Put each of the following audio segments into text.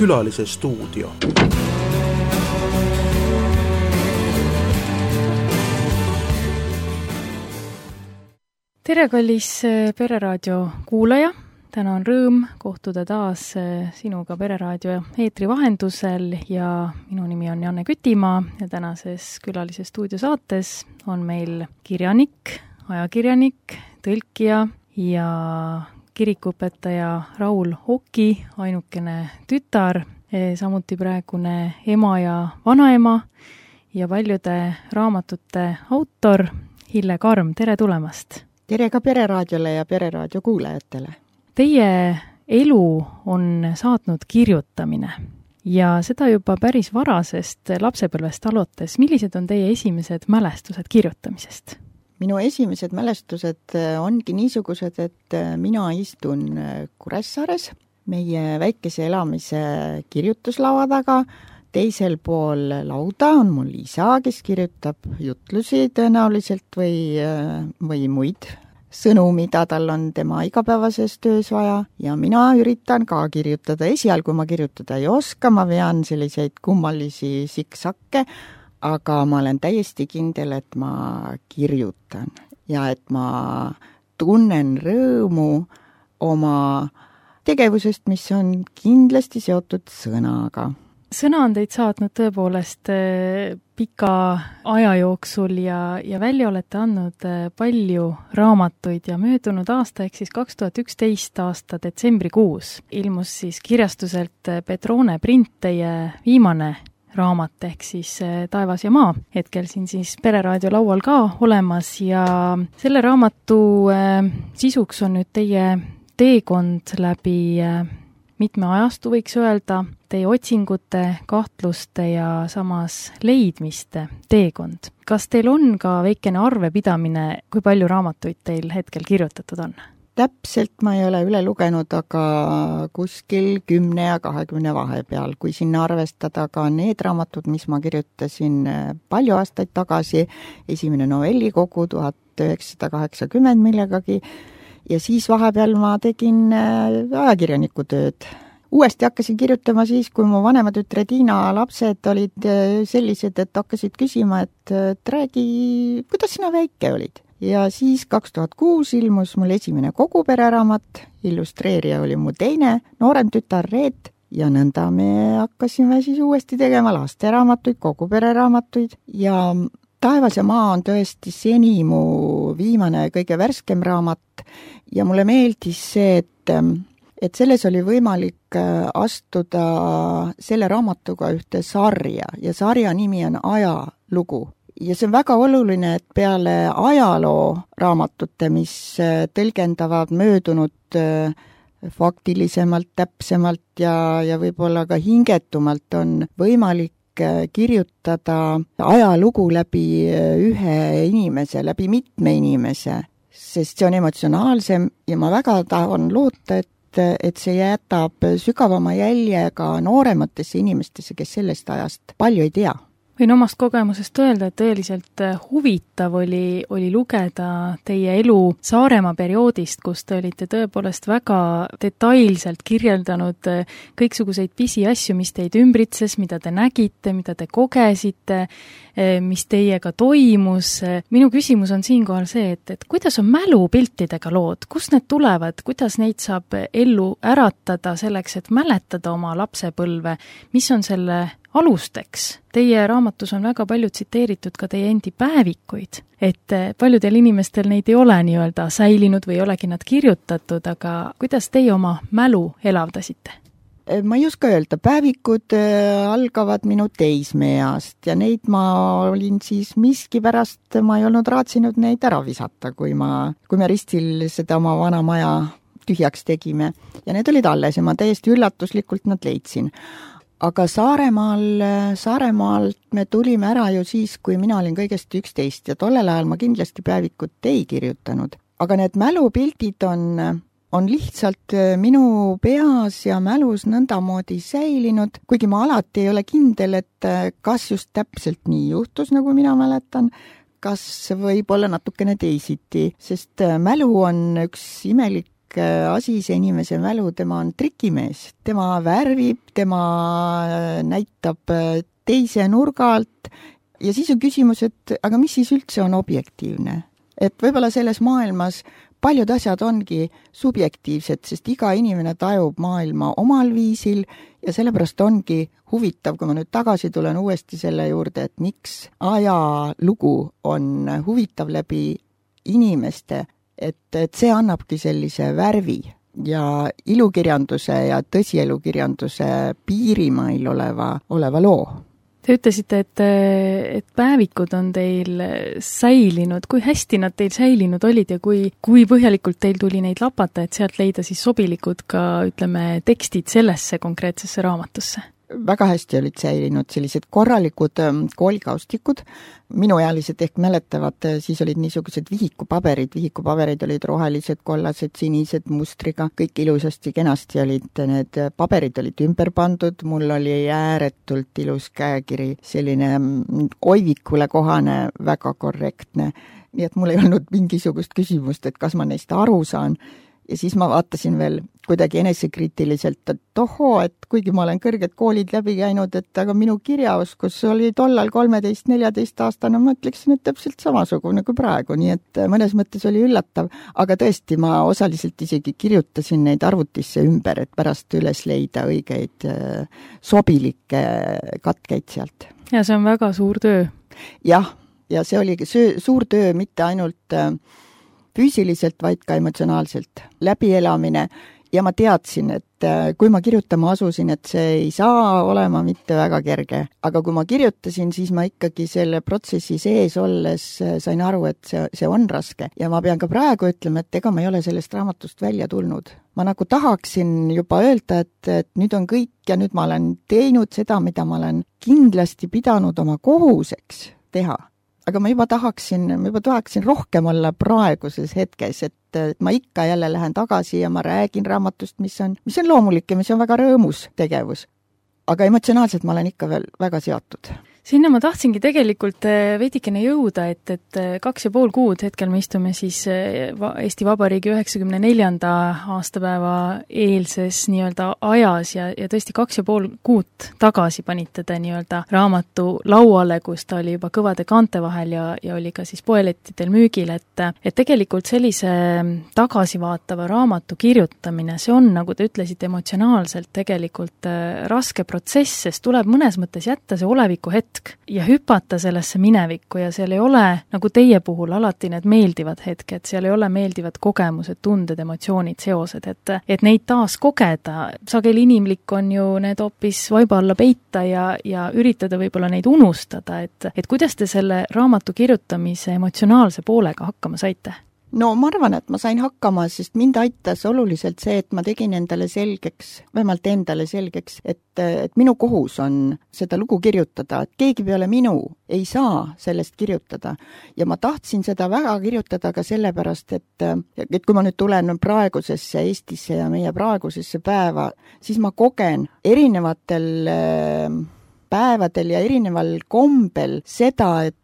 Külalise stuudio. Tere, kallis Pereraadio kuulaja! Täna on rõõm kohtuda taas sinuga Pereraadio eetri vahendusel ja minu nimi on Janne Kütimaa ja tänases Külalise stuudio saates on meil kirjanik, ajakirjanik, tõlkija ja kirikuõpetaja Raul Oki, ainukene tütar, samuti praegune ema ja vanaema ja paljude raamatute autor Hille Karm. Tere tulemast! Tere ka Pereraadiole ja Pereraadio kuulajatele! Teie elu on saatnud kirjutamine ja seda juba päris varasest lapsepõlvest alates. Millised on teie esimesed mälestused kirjutamisest? Minu esimesed mälestused ongi niisugused, et mina istun Kuressaares meie väikese elamise kirjutuslava taga. Teisel pool lauda on mul isa, kes kirjutab jutlusi tõenäoliselt või muid sõnu, mida tal on tema igapäevases töös vaja. Ja mina üritan ka kirjutada. Esialgu ma kirjutada ei oska, ma vean selliseid kummalisi siksakke, aga ma olen täiesti kindel, et ma kirjutan ja et ma tunnen rõõmu oma tegevusest, mis on kindlasti seotud sõnaga. Sõna on teid saatnud tõepoolest pika aja jooksul ja välja olete andnud palju raamatuid ja möödunud aasta ehk siis 2011 aasta detsembrikuus ilmus siis kirjastuselt Petrone Print teie viimane raamat ehk siis Taevas ja maa, hetkel siin siis Pereraadio laual ka olemas ja selle raamatu sisuks on nüüd teie teekond läbi mitme ajastu, võiks öelda, teie otsingute, kahtluste ja samas leidmiste teekond. Kas teil on ka väikene arvepidamine, kui palju raamatuid teil hetkel kirjutatud on? Täpselt ma ei ole üle lugenud, aga kuskil 10 ja 20 vahepeal, kui sinna arvestada ka need raamatud, mis ma kirjutasin palju aastaid tagasi, esimene novellikogu 1980 millegagi, ja siis vahepeal ma tegin ajakirjaniku tööd. Uuesti hakkasin kirjutama siis, kui mu vanema tütre Tiina lapsed olid sellised, et hakkasid küsima, et räägi, kuidas sina väike olid. Ja siis 2006 ilmus mul esimene kogupereraamat, illustreerija oli mu teine, noorem tütar Reet, ja nõnda me hakkasime siis uuesti tegema lasteraamatuid, kogupereraamatuid ja Taevas ja maa on tõesti seni mu viimane kõige värskem raamat ja mulle meeldis see, et selles oli võimalik astuda selle raamatuga ühte sarja ja sarja nimi on Ajalugu. Ja see on väga oluline, et peale ajaloo raamatute, mis tõlgendavad möödunud faktilisemalt, täpsemalt ja võib-olla ka hingetumalt on võimalik kirjutada ajalugu läbi ühe inimese, läbi mitme inimese, sest see on emotsionaalsem ja ma väga tahan loota, et see jätab sügavama jälje ka noorematesse inimestesse, kes sellest ajast palju ei tea. Võin omast kogemusest öelda, et tõeliselt huvitav oli lugeda teie elu Saaremaa perioodist, kus te olite tõepoolest väga detailselt kirjeldanud kõiksuguseid pisiasju, mis teid ümbritses, mida te nägite, mida te kogesite, mis teiega toimus. Minu küsimus on siinkohal see, et kuidas on mälupiltidega lood, kust need tulevad, kuidas neid saab ellu äratada selleks, et mäletada oma lapsepõlve, mis on selle alusteks. Teie raamatus on väga palju tsiteeritud ka teie endi päevikuid, et paljudel inimestel neid ei ole nii-öelda säilinud või ei olegi nad kirjutatud, aga kuidas teie oma mälu elavdasite? Ma ei oska öelda, päevikud algavad minu teismeeast ja neid ma olin siis miskipärast, ma ei olnud raatsinud neid ära visata, kui me ristil seda oma vana maja tühjaks tegime ja need olid alles ja ma täiesti üllatuslikult nad leidsin. Aga Saaremaalt me tulime ära ju siis, kui mina olin kõigest 11 ja tollel ajal ma kindlasti päevikut ei kirjutanud. Aga need mälupildid on lihtsalt minu peas ja mälus nõndamoodi säilinud, kuigi ma alati ei ole kindel, et kas just täpselt nii juhtus, nagu mina mäletan, kas võib olla natukene teisiti, sest mälu on üks imelik asi, see inimese mälu, tema on trikimees, tema värvib, tema näitab teise nurga alt ja siis on küsimus, et aga mis siis üldse on objektiivne? Et võib-olla selles maailmas paljud asjad ongi subjektiivsed, sest iga inimene tajub maailma omal viisil ja sellepärast ongi huvitav, kui ma nüüd tagasi tulen uuesti selle juurde, et miks ajalugu on huvitav läbi inimeste, et see annabki sellise värvi ja ilukirjanduse ja tõsielukirjanduse piirimail oleva loo. Te ütlesite, et päevikud on teil säilinud. Kui hästi nad teil säilinud olid ja kui põhjalikult teil tuli neid lapata, et sealt leida siis sobilikud ka, ütleme, tekstid sellesse konkreetsesse raamatusse? Väga hästi olid säilinud sellised korralikud koolikaustikud. Minuealised ehk mäletavad, siis olid niisugused vihikupaberid olid rohelised, kollased, sinised mustriga, kõik ilusasti, kenasti olid, need paberid olid ümber pandud, mul oli ääretult ilus käekiri, selline oivikule kohane, väga korrektne, nii et mul ei olnud mingisugust küsimust, et kas ma neist aru saan. Ja siis ma vaatasin veel kuidagi enesekriitiliselt, et ohoo, et kuigi ma olen kõrged koolid läbi käinud, et aga minu kirjaoskus oli tollal 13-14 aastane, ma ütleksin, et täpselt samasugune kui praegu, nii et mõnes mõttes oli üllatav, aga tõesti, ma osaliselt isegi kirjutasin neid arvutisse ümber, et pärast üles leida õigeid sobilikke katkeid sealt. Ja see on väga suur töö. Jah, ja see oligi suur töö mitte ainult füüsiliselt, vaid ka emotsionaalselt läbielamine ja ma teadsin, et kui ma kirjutama asusin, et see ei saa olema mitte väga kerge. Aga kui ma kirjutasin, siis ma ikkagi selle protsessi sees olles sain aru, et see on raske. Ja ma pean ka praegu ütlema, et ega ma ei ole sellest raamatust välja tulnud. Ma nagu tahaksin juba öelda, et nüüd on kõik ja nüüd ma olen teinud seda, mida ma olen kindlasti pidanud oma kohuseks teha. Aga ma juba tahaksin rohkem olla praeguses hetkes, et ma ikka jälle lähen tagasi ja ma räägin raamatust, mis on loomulik ja mis on väga rõõmus tegevus. Aga emotsionaalselt ma olen ikka veel väga seotud. Sinna ma tahtsingi tegelikult veidikene jõuda, et 2,5 kuud hetkel me istume siis Eesti Vabariigi 94. aastapäeva eelses nii-öelda ajas ja tõesti 2,5 kuud tagasi panite te nii-öelda raamatu lauale, kus ta oli juba kõvade kaante vahel ja oli ka siis poelettidel müügil, et tegelikult sellise tagasivaatava raamatu kirjutamine, see on, nagu te ütlesite, emotsionaalselt tegelikult raske protsess, sest tuleb mõnes mõttes jätta see oleviku hetk ja hüpata sellesse minevikku ja seal ei ole, nagu teie puhul, alati need meeldivad hetked, seal ei ole meeldivad kogemused, tunded, emotsioonid, seosed, et neid taas kogeda. Sageli inimlik on ju need hoopis vaiba alla peita ja üritada võib-olla neid unustada, et kuidas te selle raamatu kirjutamise emotsionaalse poolega hakkama saite? No ma arvan, et ma sain hakkama, sest mind aitas oluliselt see, et ma tegin endale selgeks, vähemalt endale selgeks, et minu kohus on seda lugu kirjutada, et keegi peale minu ei saa sellest kirjutada. Ja ma tahtsin seda väga kirjutada ka sellepärast, et kui ma nüüd tulen praegusesse Eestisse ja meie praegusesse päeva, siis ma kogen erinevatel päevadel ja erineval kombel seda, et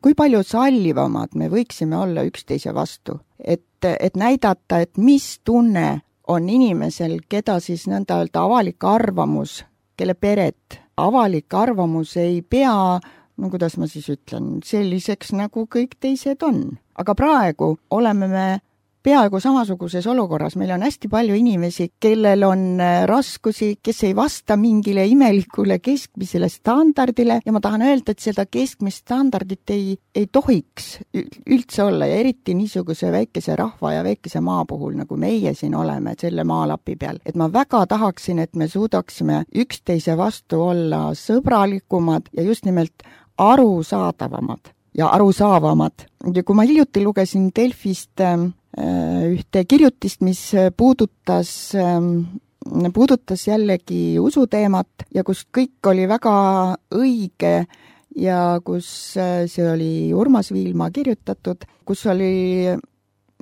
kui palju sallivamad me võiksime olla üksteise vastu. Et näidata, et mis tunne on inimesel, keda siis nõnda öelda avalik arvamus, kelle peret avalik arvamus ei pea, no kuidas ma siis ütlen, selliseks nagu kõik teised on. Aga praegu oleme me peaaegu samasuguses olukorras. Meil on hästi palju inimesi, kellel on raskusi, kes ei vasta mingile imelikule keskmisele standardile ja ma tahan öelda, et seda keskmist standardit ei tohiks üldse olla ja eriti niisuguse väikese rahva ja väikese maa puhul, nagu meie siin oleme selle maalapi peal. Et ma väga tahaksin, et me suudaksime üksteise vastu olla sõbralikumad ja just nimelt arusaadavamad ja arusaavamad. Ja kui ma hiljuti lugesin Delfist ühte kirjutist, mis puudutas jällegi usuteemat ja kus kõik oli väga õige ja kus see oli Urmas Viilma kirjutatud, kus oli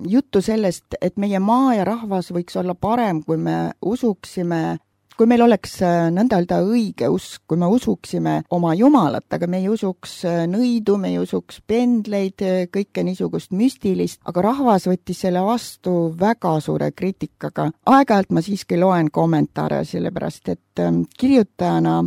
juttu sellest, et meie maa ja rahvas võiks olla parem, kui me usuksime kui meil oleks nõnda öelda õige usk, kui me usuksime oma Jumalat, aga me ei usuks nõidu, me ei usuks pendleid, kõike niisugust müstilist, aga rahvas võttis selle vastu väga suure kriitikaga. Aeg-ajalt ma siiski loen kommentaare, sellepärast et kirjutajana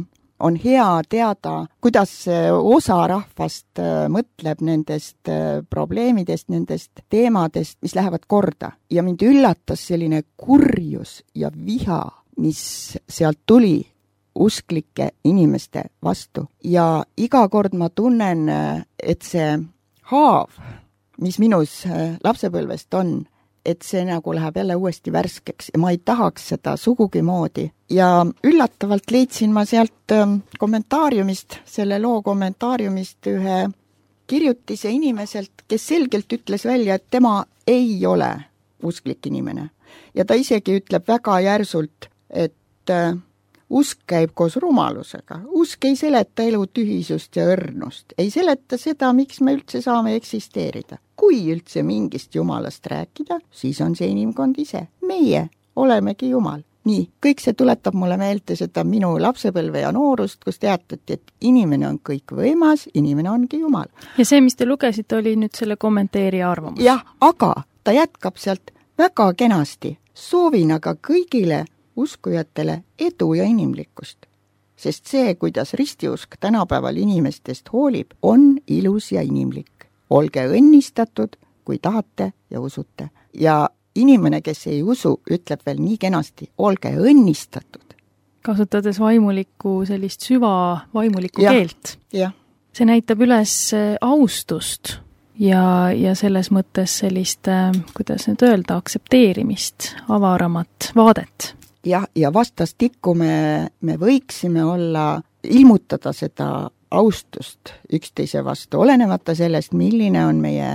on hea teada, kuidas osa rahvast mõtleb nendest probleemidest, nendest teemadest, mis lähevad korda. Ja mind üllatas selline kurjus ja viha, mis sealt tuli usklike inimeste vastu. Ja iga kord ma tunnen, et see haav, mis minus lapsepõlvest on, et see nagu läheb jälle uuesti värskeks ja ma ei tahaks seda sugugi moodi. Ja üllatavalt leidsin ma sealt kommentaariumist, selle loo kommentaariumist ühe kirjutise inimeselt, kes selgelt ütles välja, et tema ei ole usklik inimene. Ja ta isegi ütleb väga järsult, et usk käib koos rumalusega. Usk ei seleta elu tühisust ja õrnust. Ei seleta seda, miks me üldse saame eksisteerida. Kui üldse mingist Jumalast rääkida, siis on see inimkond ise. Meie olemegi Jumal. Nii, kõik see tuletab mulle meelde seda minu lapsepõlve ja noorust, kus teatati, et inimene on kõik võimas, inimene ongi Jumal. Ja see, mis te lugesite, oli nüüd selle kommenteerija arvamus. Jah, aga ta jätkab sealt väga kenasti. Soovin aga kõigile uskujatele edu ja inimlikkust. Sest see, kuidas ristiusk tänapäeval inimestest hoolib, on ilus ja inimlik. Olge õnnistatud, kui tahate ja usute. Ja inimene, kes ei usu, ütleb veel nii kenasti, olge õnnistatud. Kasutades vaimulikku sellist vaimulikku keelt. Jah. See näitab üles austust ja selles mõttes sellist, kuidas nüüd öelda, aksepteerimist, avaramat vaadet. Ja vastastikku me võiksime ilmutada seda austust üksteise vastu, olenemata sellest, milline on meie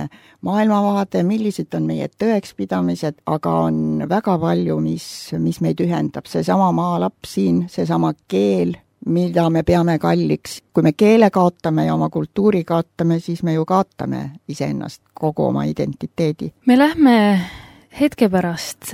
maailmavaade, millised on meie tõekspidamised, aga on väga palju, mis meid ühendab. Seesama maalaps siin, seesama keel, mida me peame kalliks. Kui me keele kaotame ja oma kultuuri kaotame, siis me ju kaotame iseennast, kogu oma identiteedi. Me lähme hetke pärast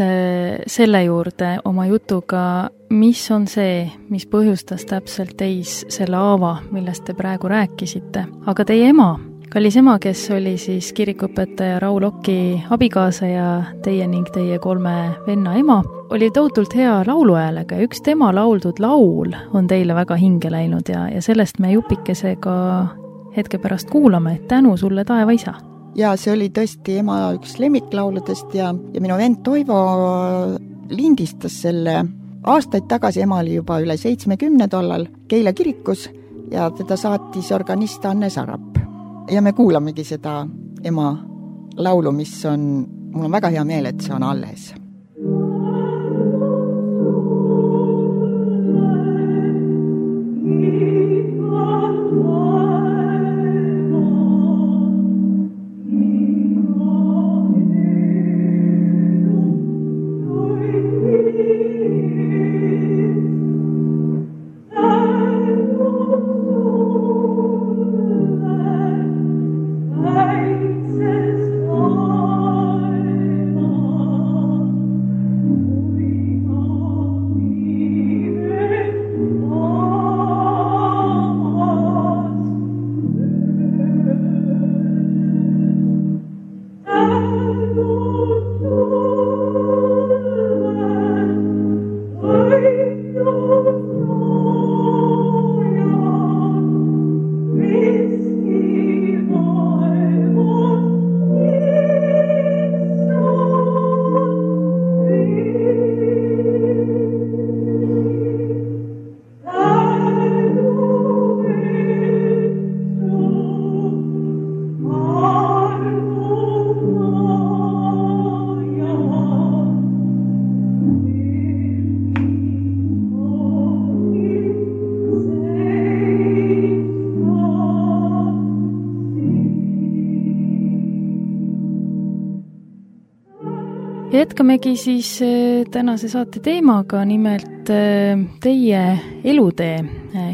selle juurde oma jutuga, mis on see, mis põhjustas täpselt teis selle haava, millest te praegu rääkisite. Aga teie ema, kallis ema, kes oli siis kirikuõpetaja Raul Oki abikaasa ja teie ning teie 3 venna ema, oli tohutult hea lauluhäälega ja üks tema lauldud laul on teile väga hinge läinud ja sellest me jupikesega hetke pärast kuulame. Tänu sulle, taeva isa! Ja see oli tõesti ema üks lemmiklauludest ja minu vend Toivo lindistas selle aastaid tagasi. Ema oli juba üle 70 tollal Keila kirikus ja teda saatis organist Anne Sarap. Ja me kuulamegi seda ema laulu, mul on väga hea meel, et see on alles. Jätkamegi siis tänase saate teemaga, nimelt teie elutee,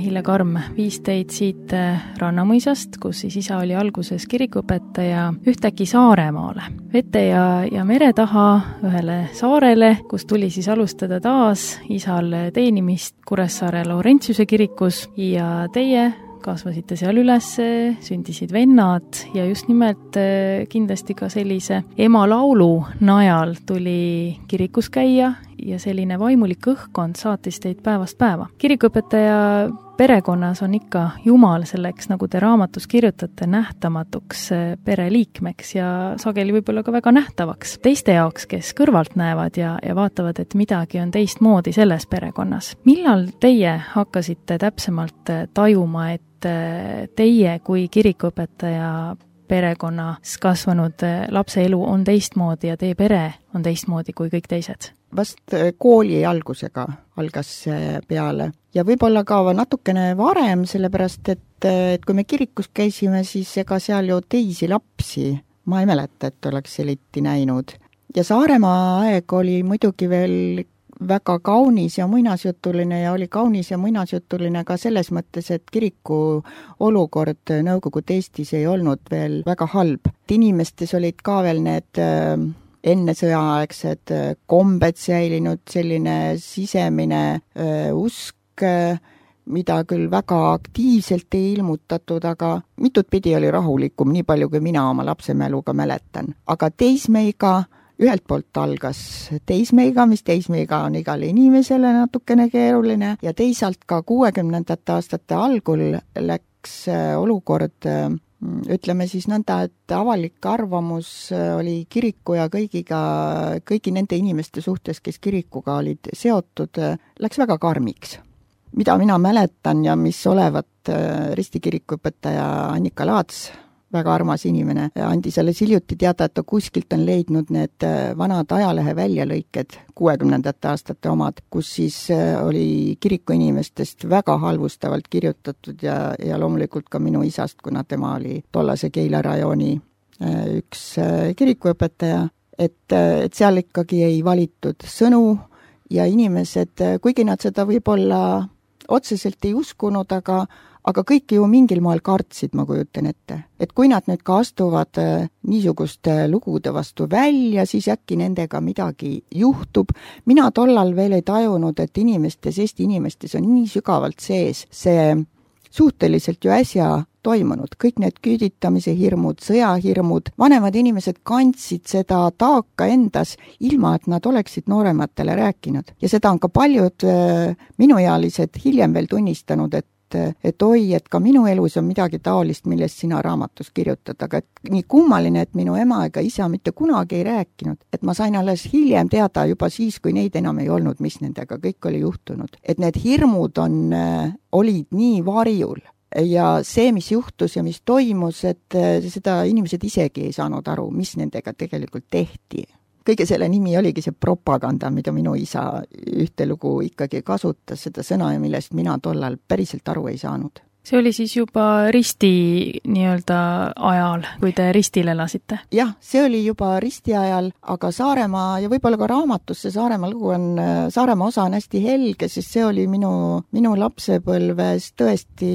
Hille Karm, viis teid siit Rannamõisast, kus siis isa oli alguses kirikuõpetaja, ühtäkki Saaremaale, vete ja mere taha ühele saarele, kus tuli siis alustada taas isal teenimist Kuressaare Laurentiuse kirikus ja teie kasvasite seal üles, sündisid vennad ja just nimelt kindlasti ka sellise ema laulu najal tuli kirikus käia ja selline vaimulik õhkkond saatis teid päevast päeva. Kirikuõpetaja perekonnas on ikka Jumal selleks, nagu te raamatus kirjutate, nähtamatuks pereliikmeks ja sageli võib-olla ka väga nähtavaks teiste jaoks, kes kõrvalt näevad ja vaatavad, et midagi on teistmoodi selles perekonnas. Millal teie hakkasite täpsemalt tajuma, et teie kui kirikuõpetaja perekonnas kasvanud lapse elu on teistmoodi ja teie pere on teistmoodi kui kõik teised? Vast kooli algusega algas see peale ja võib-olla ka natukene varem, sellepärast et kui me kirikus käisime, siis ega seal ju teisi lapsi ma ei mäleta, et oleks eriti näinud. Ja Saaremaa aeg oli muidugi veel väga kaunis ja muinasjutuline ja oli kaunis ja muinasjutuline ka selles mõttes, et kiriku olukord Nõukogude Eestis ei olnud veel väga halb. Inimestes olid ka veel need enne sõjaaegsed kombed säilinud, selline sisemine usk, mida küll väga aktiivselt ei ilmutatud, aga mitut pidi oli rahulikum, nii palju kui mina oma lapsemäluga mäletan. Aga teismeiga ühelt poolt algas teismeiga, mis teismeiga on igale inimesele natukene keeruline ja teisalt ka 60ndate aastate algul läks olukord, ütleme siis nõnda, et avalik arvamus oli kiriku ja kõigi nende inimeste suhtes, kes kirikuga olid seotud, läks väga karmiks. Mida mina mäletan ja mis olevat ristikirikuõpetaja Annika Laats, väga armas inimene, andis alles hiljuti teada, et ta kuskilt on leidnud need vanad ajalehe väljalõiked, 60ndate aastate omad, kus siis oli kiriku inimestest väga halvustavalt kirjutatud ja loomulikult ka minu isast, kuna tema oli tollase Keila rajooni üks kirikuõpetaja, et seal ikkagi ei valitud sõnu ja inimesed, kuigi nad seda võib-olla otseselt ei uskunud, aga kõik ju mingil moel kartsid, ma kujutan ette. Et kui nad nüüd ka astuvad niisuguste lugude vastu välja, siis äkki nendega midagi juhtub. Mina tollal veel ei tajunud, et Eesti inimestes on nii sügavalt sees see suhteliselt ju äsja toimunud. Kõik need küüditamise hirmud, sõjahirmud, vanemad inimesed kandsid seda taaka endas, ilma et nad oleksid noorematele rääkinud. Ja seda on ka paljud minuealised hiljem veel tunnistanud, et oi, et ka minu elus on midagi taolist, millest sina raamatus kirjutad, aga nii kummaline, et minu ema ega isa mitte kunagi ei rääkinud, et ma sain alles hiljem teada juba siis, kui neid enam ei olnud, mis nendega kõik oli juhtunud. Et need hirmud olid nii varjul ja see, mis juhtus ja mis toimus, et seda inimesed isegi ei saanud aru, mis nendega tegelikult tehti. Kõige selle nimi oligi see propaganda, mida minu isa ühte lugu ikkagi kasutas, seda sõna, millest mina tollal päriselt aru ei saanud. See oli siis juba risti nii-öelda ajal, kui te ristil elasite? Jah, see oli juba risti ajal, aga Saaremaa ja võib-olla ka raamatus see Saaremaa lugu on, Saaremaa osa on hästi helge, sest see oli minu lapsepõlves tõesti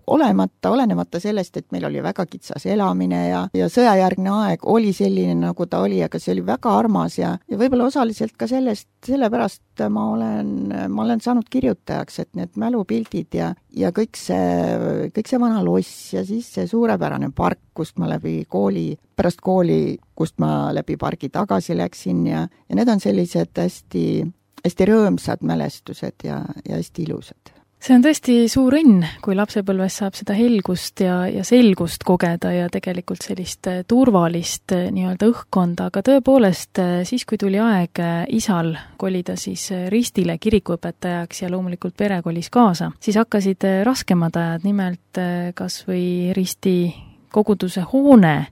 olenemata sellest, et meil oli väga kitsas elamine ja sõjajärgne aeg oli selline, nagu ta oli, aga see oli väga armas ja võib-olla osaliselt ka sellepärast ma olen saanud kirjutajaks, et need mälupildid ja kõik see vana loss ja siis see suurepärane park, kust ma pärast kooli, kust ma läbi pargi tagasi läksin ja need on sellised hästi, hästi rõõmsad mälestused ja hästi ilusad. See on tõesti suur õnn, kui lapsepõlves saab seda helgust ja selgust kogeda ja tegelikult sellist turvalist nii-öelda õhkkonda, aga tõepoolest siis, kui tuli aeg isal kolida siis ristile kirikuõpetajaks ja loomulikult pere kolis kaasa, siis hakkasid raskemad ajad, nimelt kas või risti koguduse hoone,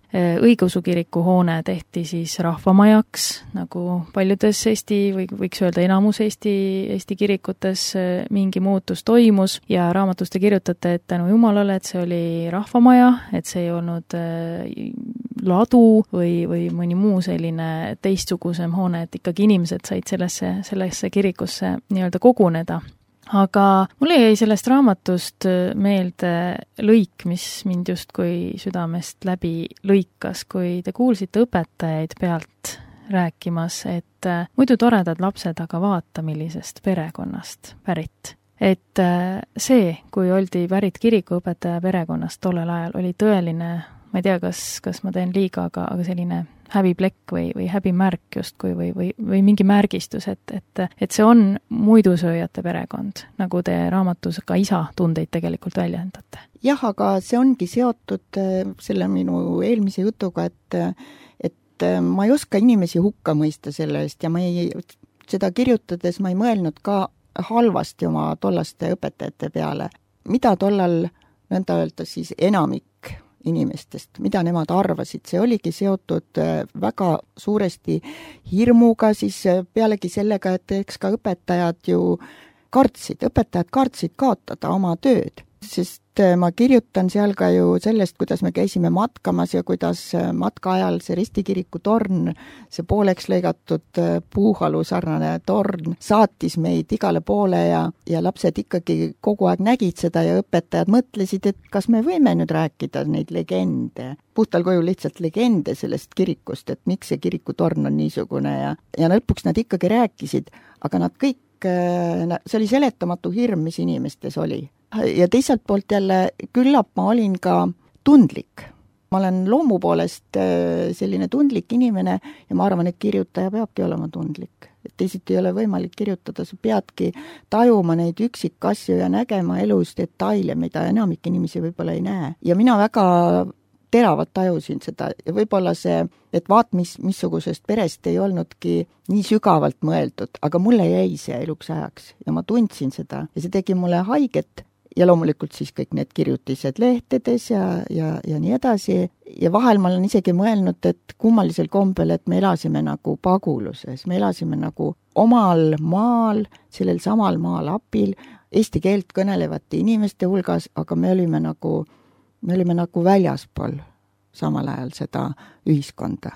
õigeusu kiriku hoone tehti siis rahvamajaks, nagu paljudes Eesti või võiks öelda enamus Eesti kirikutes mingi muutus toimus ja raamatus te kirjutate, et tänu Jumalale, et see oli rahvamaja, et see ei olnud ladu või mõni muu selline teistsugusem hoone, et ikkagi inimesed said sellesse kirikusse nii-öelda koguneda. Aga mulle jäi sellest raamatust meelde lõik, mis mind justkui südamest läbi lõikas, kui te kuulsite õpetajaid pealt rääkimas, et muidu toredad lapsed, aga vaata, millisest perekonnast pärit. Et see, kui oldi pärit kirikuõpetaja perekonnast tollel ajal, oli tõeline, ma ei tea, kas ma teen liiga, aga selline häbiplekk või häbimärk justkui või mingi märgistus, et see on muidusööjate perekond, nagu te raamatus ka isa tundeid tegelikult väljendate. Jah, aga see ongi seotud selle minu eelmise jutuga, et ma ei oska inimesi hukka mõista selle eest ja seda kirjutades ma ei mõelnud ka halvasti oma tollaste õpetajate peale. Mida tollal nõnda öelda siis enamik inimestest, mida nemad arvasid, see oligi seotud väga suuresti hirmuga, siis pealegi sellega, et eks ka õpetajad kartsid kaotada oma tööd, sest ma kirjutan seal ka ju sellest, kuidas me käisime matkamas ja kuidas matka ajal see ristikiriku torn, see pooleks lõigatud puuhalu sarnane torn saatis meid igale poole ja lapsed ikkagi kogu aeg nägid seda ja õpetajad mõtlesid, et kas me võime nüüd rääkida neid legende, puhtal kujul lihtsalt legende sellest kirikust, et miks see kirikutorn on niisugune ja lõpuks nad ikkagi rääkisid, aga nad kõik, see oli seletamatu hirm, mis inimestes oli. Ja teiselt poolt jälle küllap ma olin ka tundlik. Ma olen loomu poolest selline tundlik inimene ja ma arvan, et kirjutaja peabki olema tundlik. Et teisiti ei ole võimalik kirjutada, sa peadki tajuma neid üksikasju ja nägema elus detaile, mida enamik inimesi võib-olla ei näe. Ja mina väga teravalt tajusin seda ja võib-olla see, et missugusest perest ei olnudki nii sügavalt mõeldud, aga mulle jäi see eluks ajaks ja ma tundsin seda ja see tegi mulle haiget ja loomulikult siis kõik need kirjutised lehtedes ja nii edasi ja vahel ma olen isegi mõelnud, et kummalisel kombel, et me elasime nagu paguluses, me elasime nagu omal maal, sellel samal maalapil, eesti keelt kõnelevate inimeste hulgas, aga me olime nagu väljaspool samal ajal seda ühiskonda.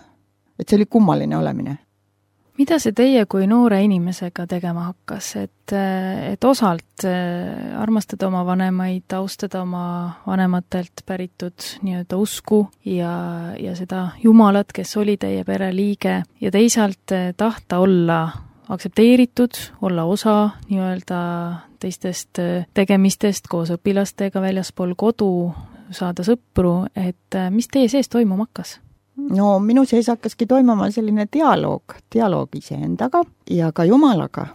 Et see oli kummaline olemine. Mida see teie kui noore inimesega tegema hakkas, et osalt armastada oma vanemaid, austada oma vanematelt päritud nii-öelda usku ja seda Jumalat, kes oli teie pere liige ja teisalt tahta olla aktsepteeritud, olla osa nii-öelda teistest tegemistest koos õpilastega väljaspool kodu, saada sõpru, et mis teie sees toimuma hakkas? No minu sees hakkaski toimuma selline dialoog iseendaga ja ka Jumalaga,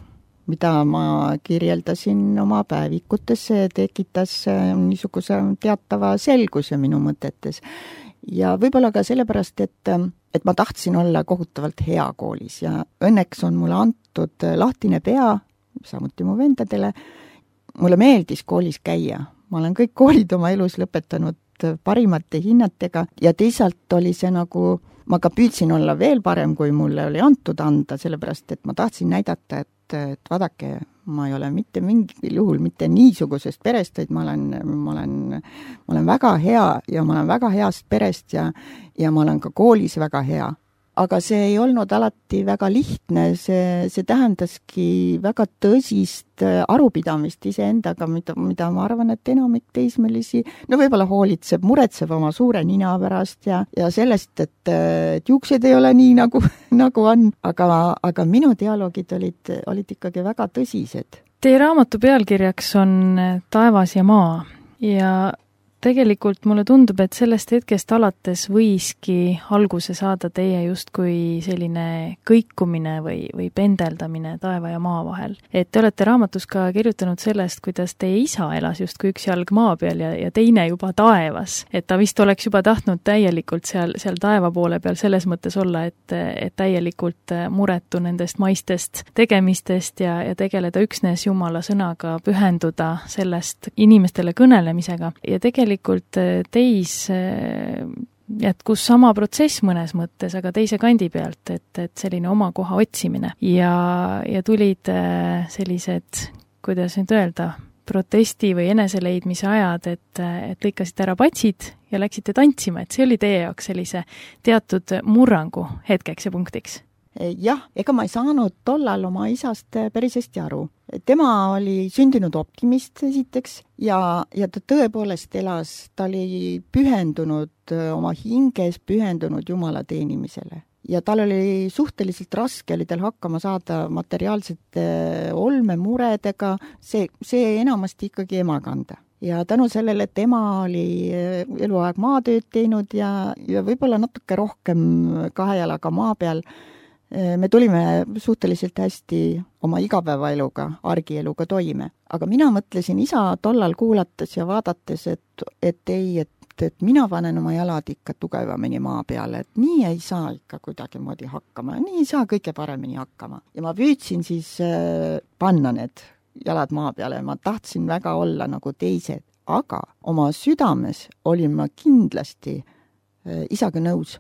mida ma kirjeldasin oma päevikutesse, tekitas niisuguse teatava selguse minu mõtetes. Ja võib-olla ka sellepärast, et ma tahtsin olla kohutavalt hea koolis ja õnneks on mulle antud lahtine pea, samuti mu vendadele. Mulle meeldis koolis käia. Ma olen kõik koolid oma elus lõpetanud parimate hinnatega ja teisalt oli see nagu, ma ka püüdsin olla veel parem, kui mulle oli antud anda, sellepärast, et ma tahtsin näidata, et vaadake, ma ei ole mitte mingil juhul mitte niisugusest perest, vaid ma olen väga hea ja ma olen väga heast perest ja ma olen ka koolis väga hea. Aga see ei olnud alati väga lihtne, see tähendaski väga tõsist arupidamist iseendaga, mida ma arvan, et enamik teismelisi, no võib-olla muretseb oma suure nina pärast ja sellest, et juuksed ei ole nii nagu on, aga minu dialoogid olid ikkagi väga tõsised. Teie raamatu pealkirjaks on Taevas ja maa ja tegelikult mulle tundub, et sellest hetkest alates võiski alguse saada teie justkui selline kõikumine või pendeldamine taeva ja maa vahel. Et te olete raamatus ka kirjutanud sellest, kuidas teie isa elas justkui üks jalg maa peal ja teine juba taevas. Et ta vist oleks juba tahtnud täielikult seal taeva poole peal selles mõttes olla, et täielikult muretu nendest maistest tegemistest ja tegeleda üksnes Jumala sõnaga, pühenduda sellest inimestele kõnelemisega ja tegelikult teis jätkus sama protsess mõnes mõttes, aga teise kandi pealt, et selline oma koha otsimine ja tulid sellised, kuidas nüüd öelda, protesti või eneseleidmise ajad, et lõikasite ära patsid ja läksite tantsima, et see oli teie jaoks sellise teatud murrangu hetkeks ja punktiks? Jah, ega ma ei saanud tollal oma isast päris hästi aru. Tema oli sündinud optimist esiteks ja ta tõepoolest elas, ta oli pühendunud oma hinges, pühendunud Jumala teenimisele. Ja tal oli suhteliselt raske, oli tal hakkama saada materiaalsete olmemuredega, see enamasti ikkagi ema kanda. Ja tänu sellele, et ema oli eluaeg maatööd teinud ja võib-olla natuke rohkem kahe jalaga maa peal, me tulime suhteliselt hästi oma igapäevaeluga, argieluga toime. Aga mina mõtlesin isa tollal kuulates ja vaadates, et mina panen oma jalad ikka tugevamini maa peale, et nii ei saa ikka kuidagimoodi hakkama, nii ei saa kõige paremini hakkama. Ja ma püüdsin siis panna need jalad maa peale, ma tahtsin väga olla nagu teised, aga oma südames olin ma kindlasti isaga nõus.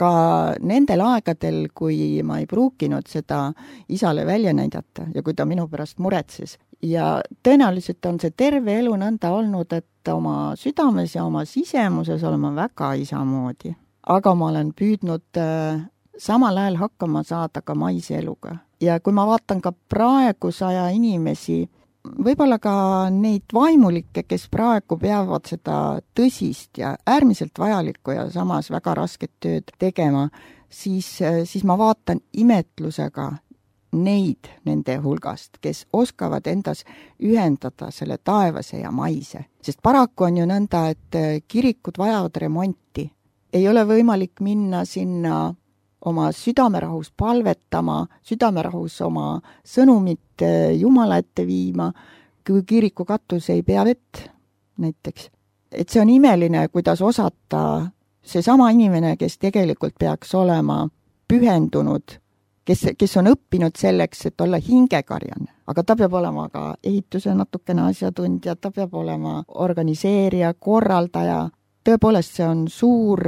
Ka nendel aegadel, kui ma ei pruukinud seda isale välja näidata ja kui ta minu pärast muretses. Ja tõenäoliselt on see terve elu nõnda olnud, et oma südames ja oma sisemuses olema väga isamoodi. Aga ma olen püüdnud samal ajal hakkama saada ka maise eluga. Ja kui ma vaatan ka praeguse aja inimesi, võib-olla ka neid vaimulikke, kes praegu peavad seda tõsist ja äärmiselt vajalikku ja samas väga rasket tööd tegema, siis ma vaatan imetlusega neid nende hulgast, kes oskavad endas ühendada selle taevase ja maise. Sest paraku on ju nõnda, et kirikud vajavad remonti. Ei ole võimalik minna sinna oma südamerahus palvetama, südamerahus oma sõnumit Jumala ette viima, kui kiriku katus ei pea vett näiteks. Et see on imeline, kuidas osata seesama inimene, kes tegelikult peaks olema pühendunud, kes on õppinud selleks, et olla hingekarjane. Aga ta peab olema ka ehituse natukene asjatundja, ta peab olema organiseerija, korraldaja. Tõepoolest, see on suur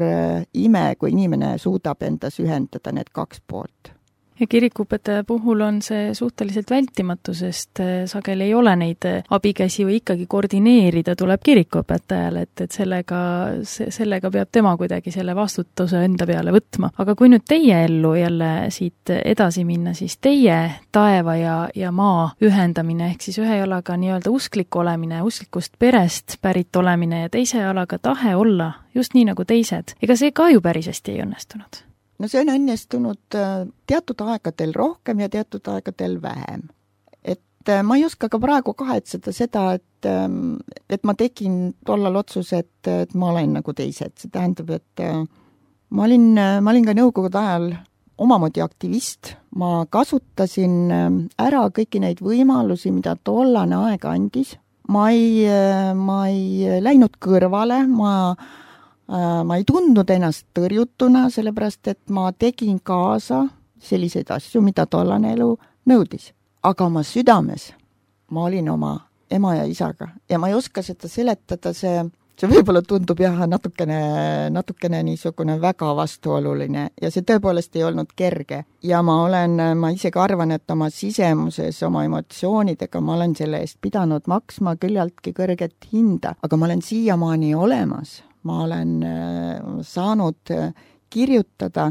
ime, kui inimene suudab endas ühendada need kaks poolt. Ja kirikuõpetaja puhul on see suhteliselt vältimatu, sest sageli ei ole neid abikäsi või ikkagi koordineerida tuleb kirikuõpetajale, et sellega peab tema kuidagi selle vastutuse enda peale võtma. Aga kui nüüd teie ellu jälle siit edasi minna, siis teie taeva ja maa ühendamine, ehk siis ühe jalaga nii-öelda usklik olemine, usklikust perest pärit olemine ja teise jalaga tahe olla just nii nagu teised, ega see ka ju päris hästi ei õnnestunud? No see on õnnestunud teatud aegadel rohkem ja teatud aegadel vähem. Et ma ei oska ka praegu kahetseda seda, et ma tegin tollal otsuse, et ma olen nagu teised. See tähendab, et ma olin ka nõukogude ajal omamoodi aktivist. Ma kasutasin ära kõiki neid võimalusi, mida tollane aeg andis. Ma ei läinud kõrvale, ma ei tundnud ennast tõrjutuna, sellepärast, et ma tegin kaasa selliseid asju, mida tollane elu nõudis. Aga oma südames ma olin oma ema ja isaga ja ma ei oska seda seletada, see võib-olla tundub natukene niisugune väga vastuoluline ja see tõepoolest ei olnud kerge. Ja ma isegi arvan, et oma sisemuses, oma emotsioonidega ma olen selle eest pidanud maksma küllaltki kõrget hinda, aga ma olen siiamaani olemas. Ma olen saanud kirjutada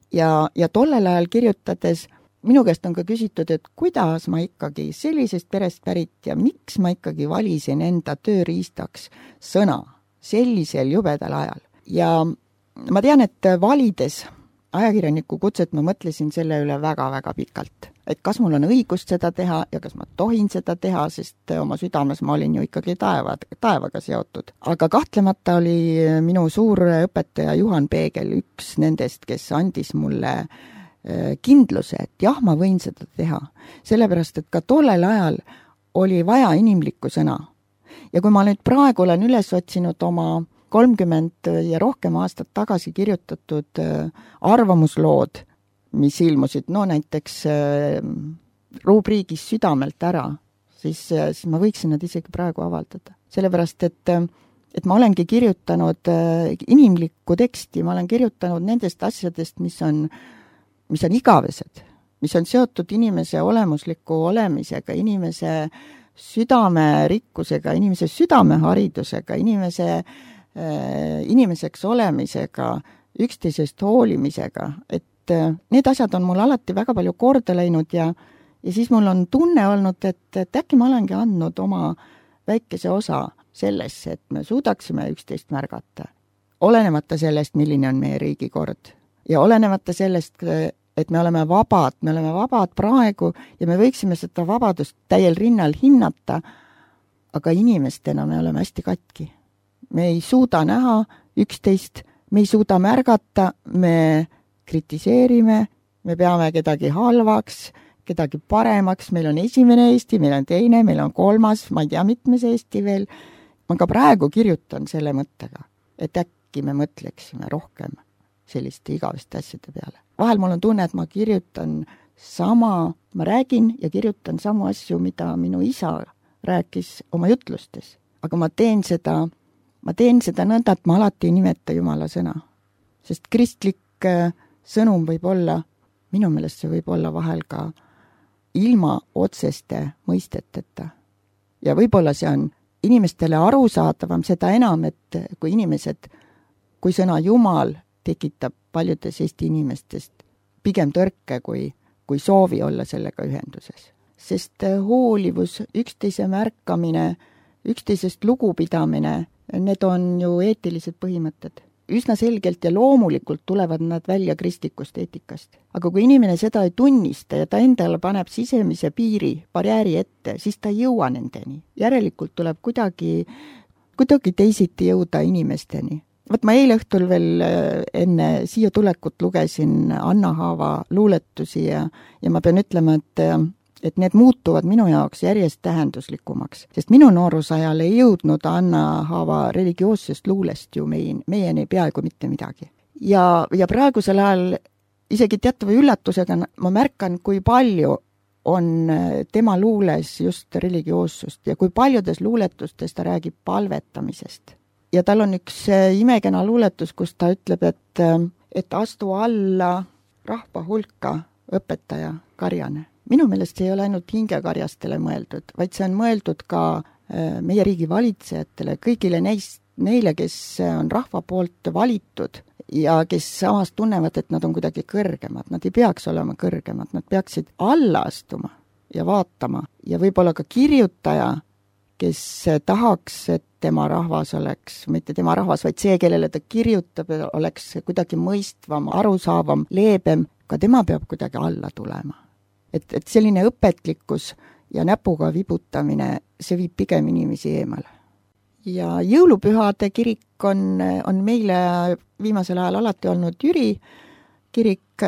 ja tollel ajal kirjutades minu käest on ka küsitud, et kuidas ma ikkagi sellisest perest pärit ja miks ma ikkagi valisin enda tööriistaks sõna sellisel jubedal ajal. Ja ma tean, et valides ajakirjaniku kutset ma mõtlesin selle üle väga-väga pikalt. Et kas mul on õigust seda teha ja kas ma tohin seda teha, sest oma südames ma olin ju ikkagi taevaga seotud. Aga kahtlemata oli minu suur õpetaja Juhan Peegel üks nendest, kes andis mulle kindluse, et jah, ma võin seda teha. Sellepärast, et ka tollel ajal oli vaja inimlikku sõna. Ja kui ma nüüd praegu olen üles otsinud oma 30 ja rohkem aastat tagasi kirjutatud arvamuslood, mis ilmusid, näiteks rubriigis Südamelt ära, siis ma võiksin nad isegi praegu avaldada. Sellepärast, et ma olengi kirjutanud inimlikku teksti, ma olen kirjutanud nendest asjadest, mis on igavesed, mis on seotud inimese olemusliku olemisega, inimese südamerikkusega, inimese südameharidusega, inimeseks olemisega, üksteisest hoolimisega, et need asjad on mul alati väga palju korda läinud ja siis mul on tunne olnud, et äkki ma olengi andnud oma väikese osa sellesse, et me suudaksime üksteist märgata. Olenemata sellest, milline on meie riigikord ja olenemata sellest, et me oleme vabad praegu ja me võiksime seda vabadust täiel rinnal hinnata, aga inimestena me oleme hästi katki. Me ei suuda näha üksteist, me ei suuda märgata, me kritiseerime, me peame kedagi halvaks, kedagi paremaks, meil on esimene Eesti, meil on teine, meil on kolmas, ma ei tea, mitmes Eesti veel. Ma ka praegu kirjutan selle mõttega, et äkki me mõtleksime rohkem selliste igaveste asjade peale. Vahel mul on tunne, et ma kirjutan ma räägin ja kirjutan samu asju, mida minu isa rääkis oma jutlustes. Aga ma teen seda nõnda, et ma alati ei nimeta Jumala sõna. Sest kristlik sõnum võib olla, minu meelest see võib olla vahel ka ilma otseste mõisteteta. Ja võib-olla see on inimestele arusaadavam, seda enam, et kui sõna Jumal tekitab paljudes Eesti inimestest pigem tõrke kui soovi olla sellega ühenduses. Sest hoolivus, üksteise märkamine, üksteisest lugupidamine, need on ju eetilised põhimõtted. Üsna selgelt ja loomulikult tulevad nad välja kristlikust eetikast. Aga kui inimene seda ei tunnista ja ta endale paneb sisemise barjääri ette, siis ta ei jõua nendeni. Järelikult tuleb kuidagi teisiti jõuda inimesteni. Ma eile õhtul veel enne siia tulekut lugesin Anna Haava luuletusi ja ma pean ütlema, et need muutuvad minu jaoks järjest tähenduslikumaks. Sest minu noorusajal ei jõudnud Anna Haava religioossest luulest ju meieni peaaegu mitte midagi. Ja praegusel ajal isegi teatava üllatusega ma märkan, kui palju on tema luules just religioossust ja kui paljudes luuletustes ta räägib palvetamisest. Ja tal on üks imekena luuletus, kus ta ütleb, et astu alla rahva hulka õpetaja karjane. Minu meelest see ei ole ainult hingekarjastele mõeldud, vaid see on mõeldud ka meie riigi valitsejatele, kõigile neile, kes on rahva poolt valitud ja kes samas tunnevad, et nad on kuidagi kõrgemad. Nad ei peaks olema kõrgemad, nad peaksid alla astuma ja vaatama. Ja võib-olla ka kirjutaja, kes tahaks, et tema rahvas oleks, mitte tema rahvas, vaid see, kellele ta kirjutab, oleks kuidagi mõistvam, arusaavam, leebem, ka tema peab kuidagi alla tulema. Et selline õpetlikkus ja näpuga vibutamine, see viib pigem inimesi eemale. Ja jõulupühade kirik on meile viimasel ajal alati olnud Jüri kirik.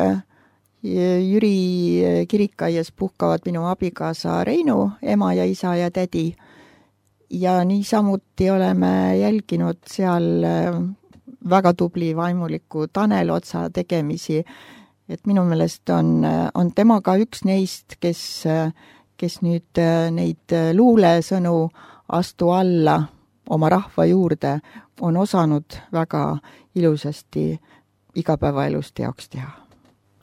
Jüri kirikaias puhkavad minu abikaasa Reinu, ema ja isa ja tädi. Ja niisamuti oleme jälginud seal väga tubli vaimuliku Tanel Otsa tegemisi. Et minu meelest on temaga üks neist, kes nüüd neid luulesõnu astu alla oma rahva juurde on osanud väga ilusasti igapäevaelust teoks teha.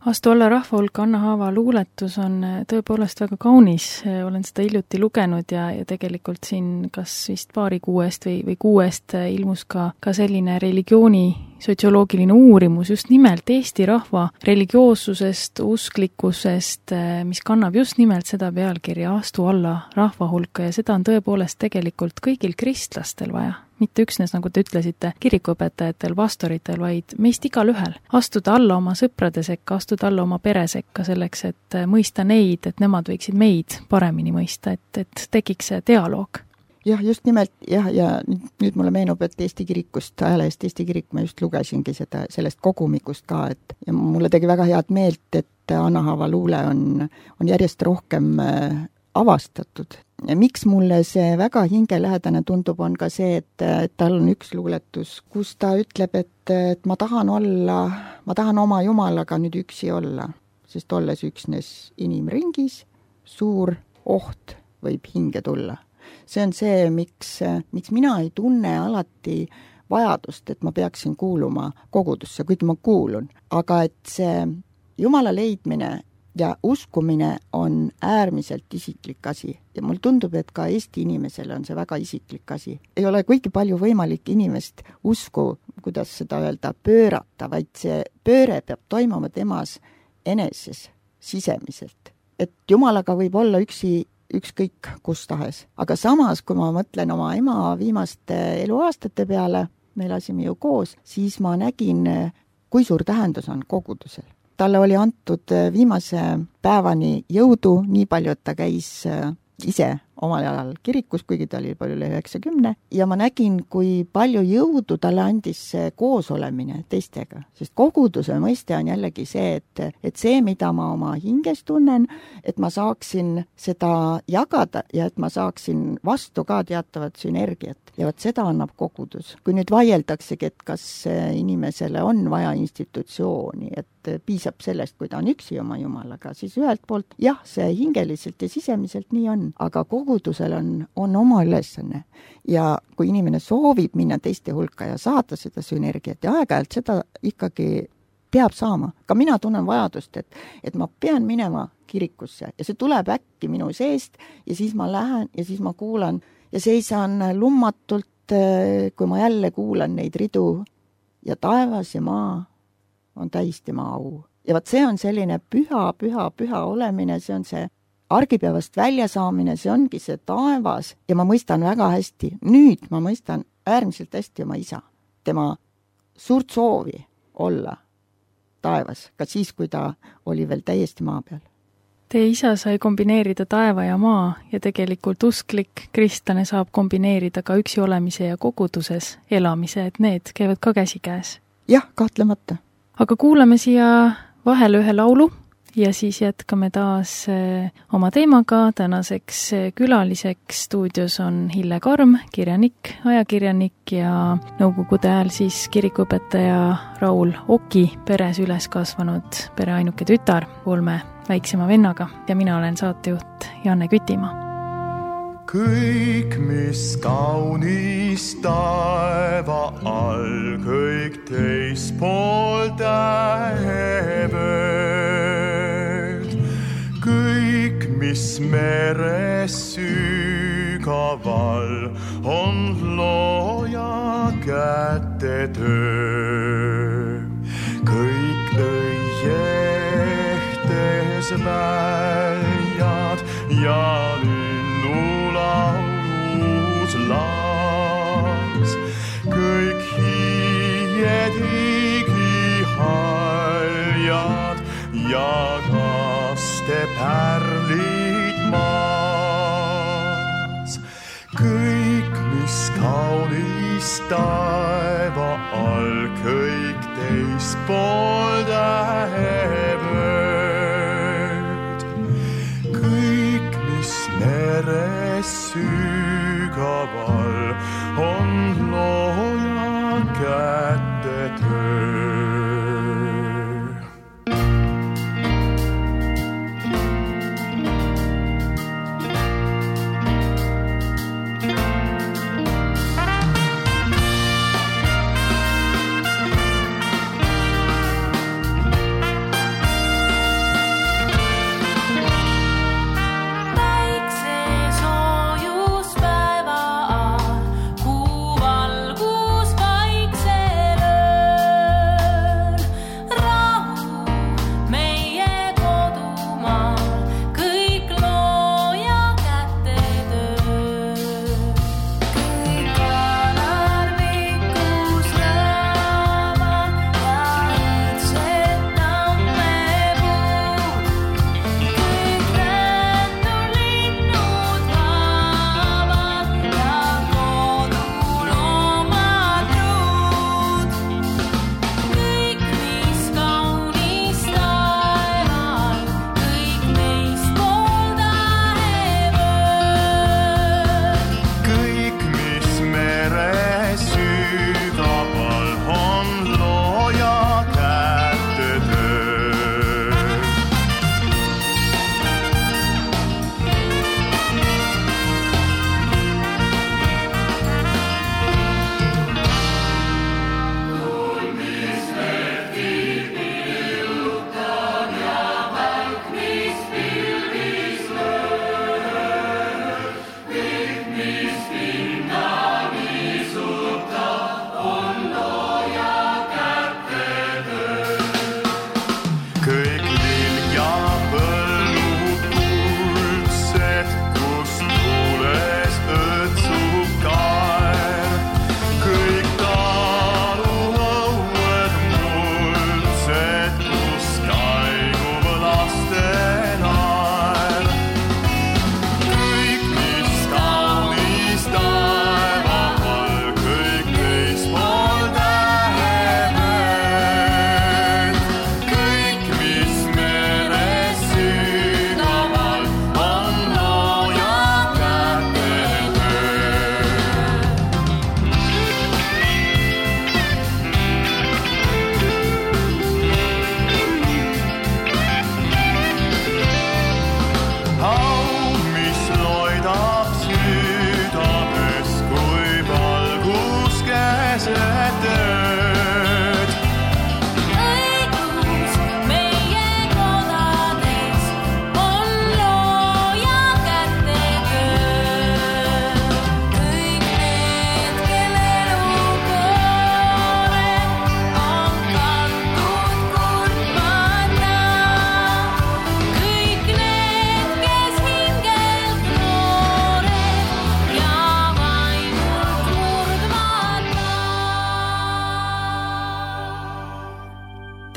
Astu alla rahva hulka Anna Haava luuletus on tõepoolest väga kaunis, olen seda hiljuti lugenud ja tegelikult siin kas vist paari kuuest või kuuest ilmus ka selline religiooni sotsioloogiline uurimus just nimelt Eesti rahva religioossusest, usklikkusest, mis kannab just nimelt seda pealkirja Astu alla rahva hulka ja seda on tõepoolest tegelikult kõigil kristlastel vaja. Mitte üksnes, nagu te ütlesite, kirikuõpetajatel, pastoritel, vaid meist igalühel. Astuda alla oma sõprade sekka, astuda alla oma pere sekka selleks, et mõista neid, et nemad võiksid meid paremini mõista, et tekiks see dialoog. Jah, just nimelt, ja nüüd mulle meenub, et Eesti kirikust, ajalehest Eesti kirik, ma just lugesingi sellest kogumikust ka, ja mulle tegi väga head meelt, et Anna Haava luule on järjest rohkem avastatud. Ja miks mulle see väga hingelähedane tundub, on ka see, et tal on üks luuletus, kus ta ütleb, et ma tahan oma Jumalaga nüüd üksi olla, sest olles üksnes inimringis, suur oht võib hinge tulla. See on see, miks mina ei tunne alati vajadust, et ma peaksin kuuluma kogudusse, kuid ma kuulun. Aga et see Jumala leidmine ja uskumine on äärmiselt isiklik asi ja mul tundub, et ka Eesti inimesele on see väga isiklik asi. Ei ole kuigi palju võimalik inimest usku, kuidas seda öelda, pöörata, vaid see pööre peab toimuma temas eneses, sisemiselt. Et Jumalaga võib olla ükskõik kus tahes. Aga samas, kui ma mõtlen oma ema viimaste eluaastate peale, me elasime ju koos, siis ma nägin, kui suur tähendus on kogudusel. Talle oli antud viimase päevani jõudu, nii palju, et ta käis ise omal ajal kirikus, kuigi ta oli palju üle 90, ja ma nägin, kui palju jõudu talle andis see koosolemine teistega. Sest koguduse mõiste on jällegi see, et see, mida ma oma hinges tunnen, et ma saaksin seda jagada ja et ma saaksin vastu ka teatavat sünergiat. Ja võt seda annab kogudus. Kui nüüd vaieldakse, et kas inimesele on vaja institutsiooni, et piisab sellest, kui ta on üksi oma Jumalaga, siis ühelt poolt jah, see hingeliselt ja sisemiselt nii on, aga kogudusel on oma ülesanne. Ja kui inimene soovib minna teiste hulka ja saada seda sünergiat ja aeg-ajalt seda ikkagi peab saama. Ka mina tunnen vajadust, et ma pean minema kirikusse ja see tuleb äkki minu seest ja siis ma lähen ja siis ma kuulan ja seisan lummatult, kui ma jälle kuulan neid ridu ja taevas ja maa on täis tema au. Ja vaat see on selline püha olemine, see on see argipäevast väljasaamine, see ongi see taevas ja ma mõistan väga hästi, nüüd ma mõistan äärmiselt hästi oma isa, tema suurt soovi olla taevas, ka siis, kui ta oli veel täiesti maa peal. Teie isa sai kombineerida taeva ja maa ja tegelikult usklik kristlane saab kombineerida ka üksi olemise ja koguduses elamise, et need käivad ka käsikäes. Jah, kahtlemata. Aga kuulame siia vahele ühe laulu ja siis jätkame taas oma teemaga. Tänaseks külaliseks stuudios on Hille Karm, kirjanik, ajakirjanik ja nõukogude ajal siis kirikuõpetaja Raul Oki peres üles kasvanud pere ainuke tütar 3 väiksema vennaga ja mina olen saatejuht Janne Kütimaa. Kõik, mis kaunis taeva all, kõik teispool tähevööd, kõik, mis meres sügaval, on looja käte töö. Kõik õiehtes väljad ja linnulaulus laas, kõik hiied igihaljad ja kaste pärlid maas. Kõik, mis kaunis taeva all, kõik teispool tähevööd, kõik, mis meres sügaval, on looja käte töö. Kuu valgus vaiksel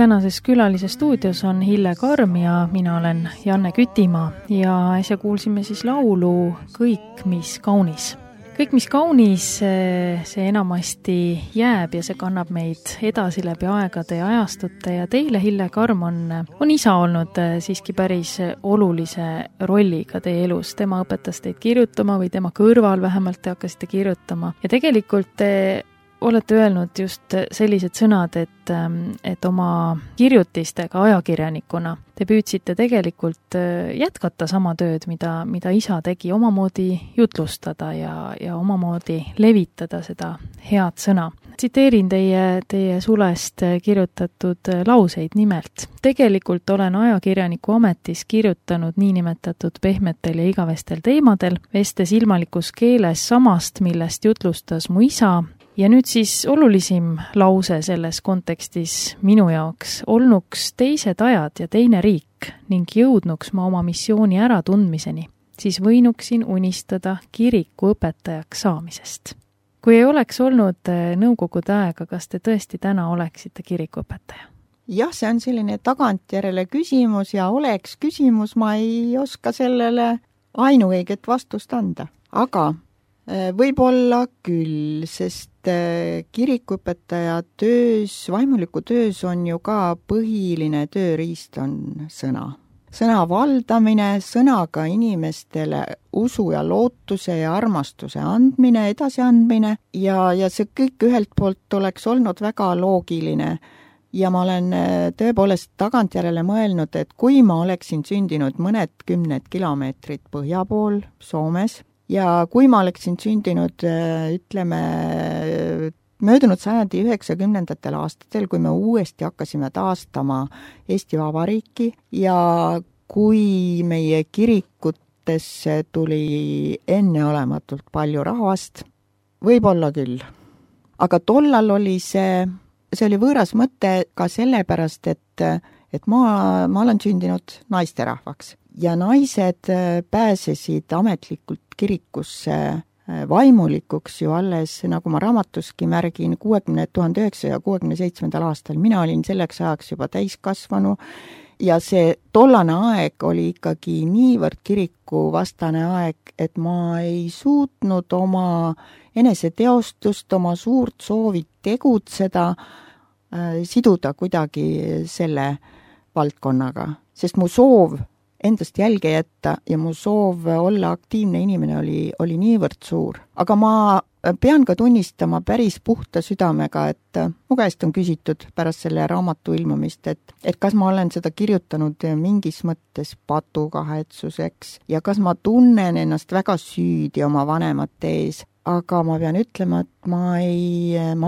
tänases külalise stuudios on Hille Karm ja mina olen Janne Kütimaa ja äsja kuulsime siis laulu Kõik, mis kaunis. Kõik, mis kaunis, see enamasti jääb ja see kannab meid edasi läbi aegade ja ajastute ja teile, Hille Karm, on isa olnud siiski päris olulise rolliga teie elus. Tema õpetas teid kirjutama või tema kõrval vähemalt te hakkasite kirjutama ja tegelikult te olete öelnud just sellised sõnad, et oma kirjutistega ajakirjanikuna te püüdsite tegelikult jätkata sama tööd, mida isa tegi, omamoodi jutlustada ja omamoodi levitada seda head sõna. Tsiteerin teie sulest kirjutatud lauseid nimelt. Tegelikult olen ajakirjaniku ametis kirjutanud niinimetatud pehmetel ja igavestel teemadel, vestes ilmalikus keeles samast, millest jutlustas mu isa. Ja nüüd siis olulisim lause selles kontekstis minu jaoks olnuks teised ajad ja teine riik ning jõudnuks ma oma missiooni äratundmiseni, siis võinuksin unistada kiriku õpetajaks saamisest. Kui ei oleks olnud nõukogude aega, kas te tõesti täna oleksite kirikuõpetaja? Jah, see on selline tagantjärele küsimus ja oleks küsimus, ma ei oska sellele ainuõiget vastust anda. Aga võib-olla küll, sest kirikuõpetaja töös, vaimuliku töös on ju ka põhiline tööriist on sõna. Sõna valdamine, sõnaga inimestele usu ja lootuse ja armastuse andmine, edasiandmine ja see kõik ühelt poolt oleks olnud väga loogiline. Ja ma olen tõepoolest tagantjärele mõelnud, et kui ma oleksin sündinud mõned 10 kilomeetrit põhja pool Soomes, ja kui ma oleksin sündinud, ütleme, möödunud sajandi 90. aastatel, kui me uuesti hakkasime taastama Eesti Vabariiki ja kui meie kirikutesse tuli enneolematult palju rahvast, võib-olla küll. Aga tollal oli see oli võõras mõte ka sellepärast, et ma olen sündinud naisterahvaks. Ja naised pääsesid ametlikult kirikusse vaimulikuks ju alles, nagu ma raamatuski märgin, 1967. aastal. Mina olin selleks ajaks juba täiskasvanu ja see tollane aeg oli ikkagi niivõrd kirikuvastane aeg, et ma ei suutnud oma eneseteostust, oma suurt soovi tegutseda, siduda kuidagi selle valdkonnaga, sest mu soov endast jälge jätta ja mu soov olla aktiivne inimene oli niivõrd suur. Aga ma pean ka tunnistama päris puhta südamega, et mu käest on küsitud pärast selle raamatu ilmumist, et kas ma olen seda kirjutanud mingis mõttes patukahetsuseks ja kas ma tunnen ennast väga süüdi oma vanemate ees. Aga ma pean ütlema, et ma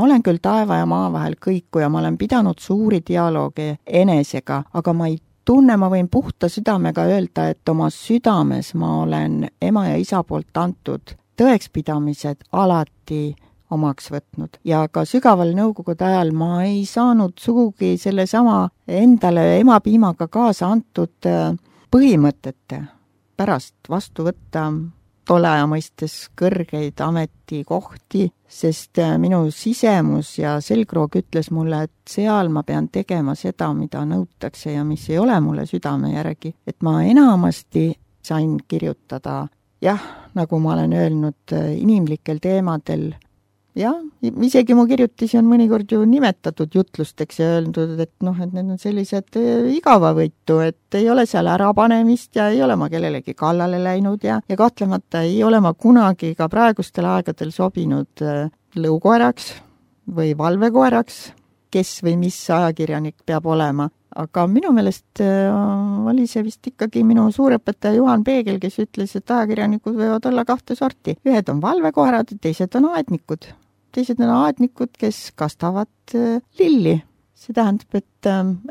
olen küll taeva ja maa vahel kõikuja, ma olen pidanud suuri dialoogi enesega, aga ma ei tunne, ma võin puhta südamega öelda, et oma südames ma olen ema ja isa poolt antud tõekspidamised alati omaks võtnud. Ja ka sügaval nõukogude ajal ma ei saanud sugugi sellesama endale emapiimaga kaasa antud põhimõtete pärast vastu võtta tolle aja mõistes kõrgeid ametikohti, sest minu sisemus ja selgroog ütles mulle, et seal ma pean tegema seda, mida nõutakse ja mis ei ole mulle südame järgi. Et ma enamasti sain kirjutada, jah, nagu ma olen öelnud, inimlikel teemadel. Ja, isegi mu kirjutisi on mõnikord ju nimetatud jutlusteks ja öeldud, et et need on sellised igavavõitu, et ei ole seal ärapanemist ja ei ole ma kellelegi kallale läinud ja kahtlemata ei ole ma kunagi ka praegustel aegadel sobinud lõukoeraks või valvekoeraks, kes või mis ajakirjanik peab olema. Aga minu meelest oli see vist ikkagi minu suurõpetaja Juhan Peegel, kes ütles, et ajakirjanikud võivad olla 2 sorti. Ühed on valvekoerad, teised on aednikud. Teised on aednikud, kes kastavad lilli. See tähendab,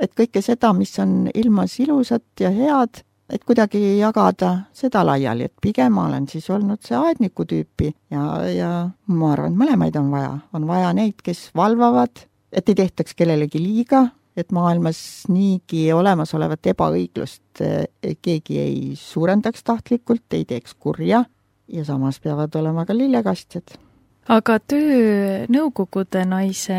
et kõike seda, mis on ilmas ilusat ja head, et kuidagi jagada seda laiali, et pigem olen siis olnud see aedniku tüüpi ja ma arvan, et mõlemaid on vaja. On vaja neid, kes valvavad, et ei tehtaks kellelegi liiga, et maailmas niigi olemasolevat ebaõiglust keegi ei suurendaks tahtlikult, ei teeks kurja ja samas peavad olema ka lillekastjad. Aga töö nõukogude naise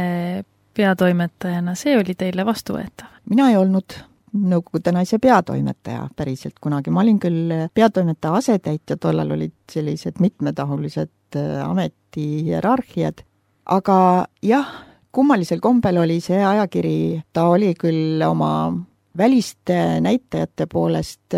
peatoimetajana, see oli teile vastuvõetav? Mina ei olnud Nõukogude naise peatoimetaja päriselt kunagi. Ma olin küll peatoimetaja asetäitja, tollal olid sellised mitmetahulised ametihierarhiad, aga jah, kummalisel kombel oli see ajakiri, ta oli küll oma väliste näitajate poolest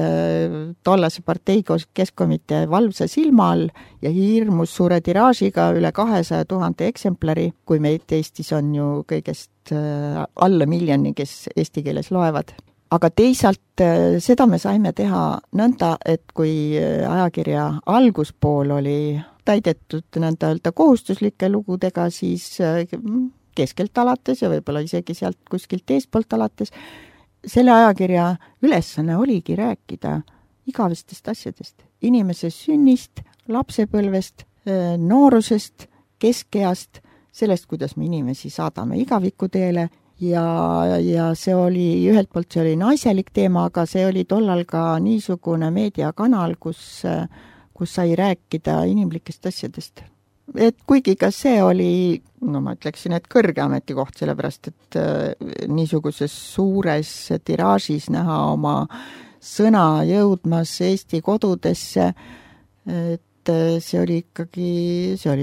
tollase partei keskkomitee valvsa silma all ja hirmus suure tiraažiga üle 200 000 eksemplari, kui meid Eestis on ju kõigest alla 1 miljoni, kes eesti keeles loevad. Aga teisalt seda me saime teha nõnda, et kui ajakirja alguspool oli täidetud nõnda öelda kohustuslike lugudega, siis keskelt alates ja võib-olla isegi sealt kuskilt eespoolt alates, selle ajakirja ülesanne oligi rääkida igavestest asjadest. Inimese sünnist, lapsepõlvest, noorusest, keskeast, sellest, kuidas me inimesi saadame igavikuteele ja see oli, ühelt poolt see oli naiselik teema, aga see oli tollal ka niisugune meediakanal, kus sai rääkida inimlikest asjadest. Et kuigi ka see oli, no ma ütleksin, et kõrge ametikoht, sellepärast et niisuguses suures tiraažis näha oma sõna jõudmas Eesti kodudesse, et see oli ikkagi, see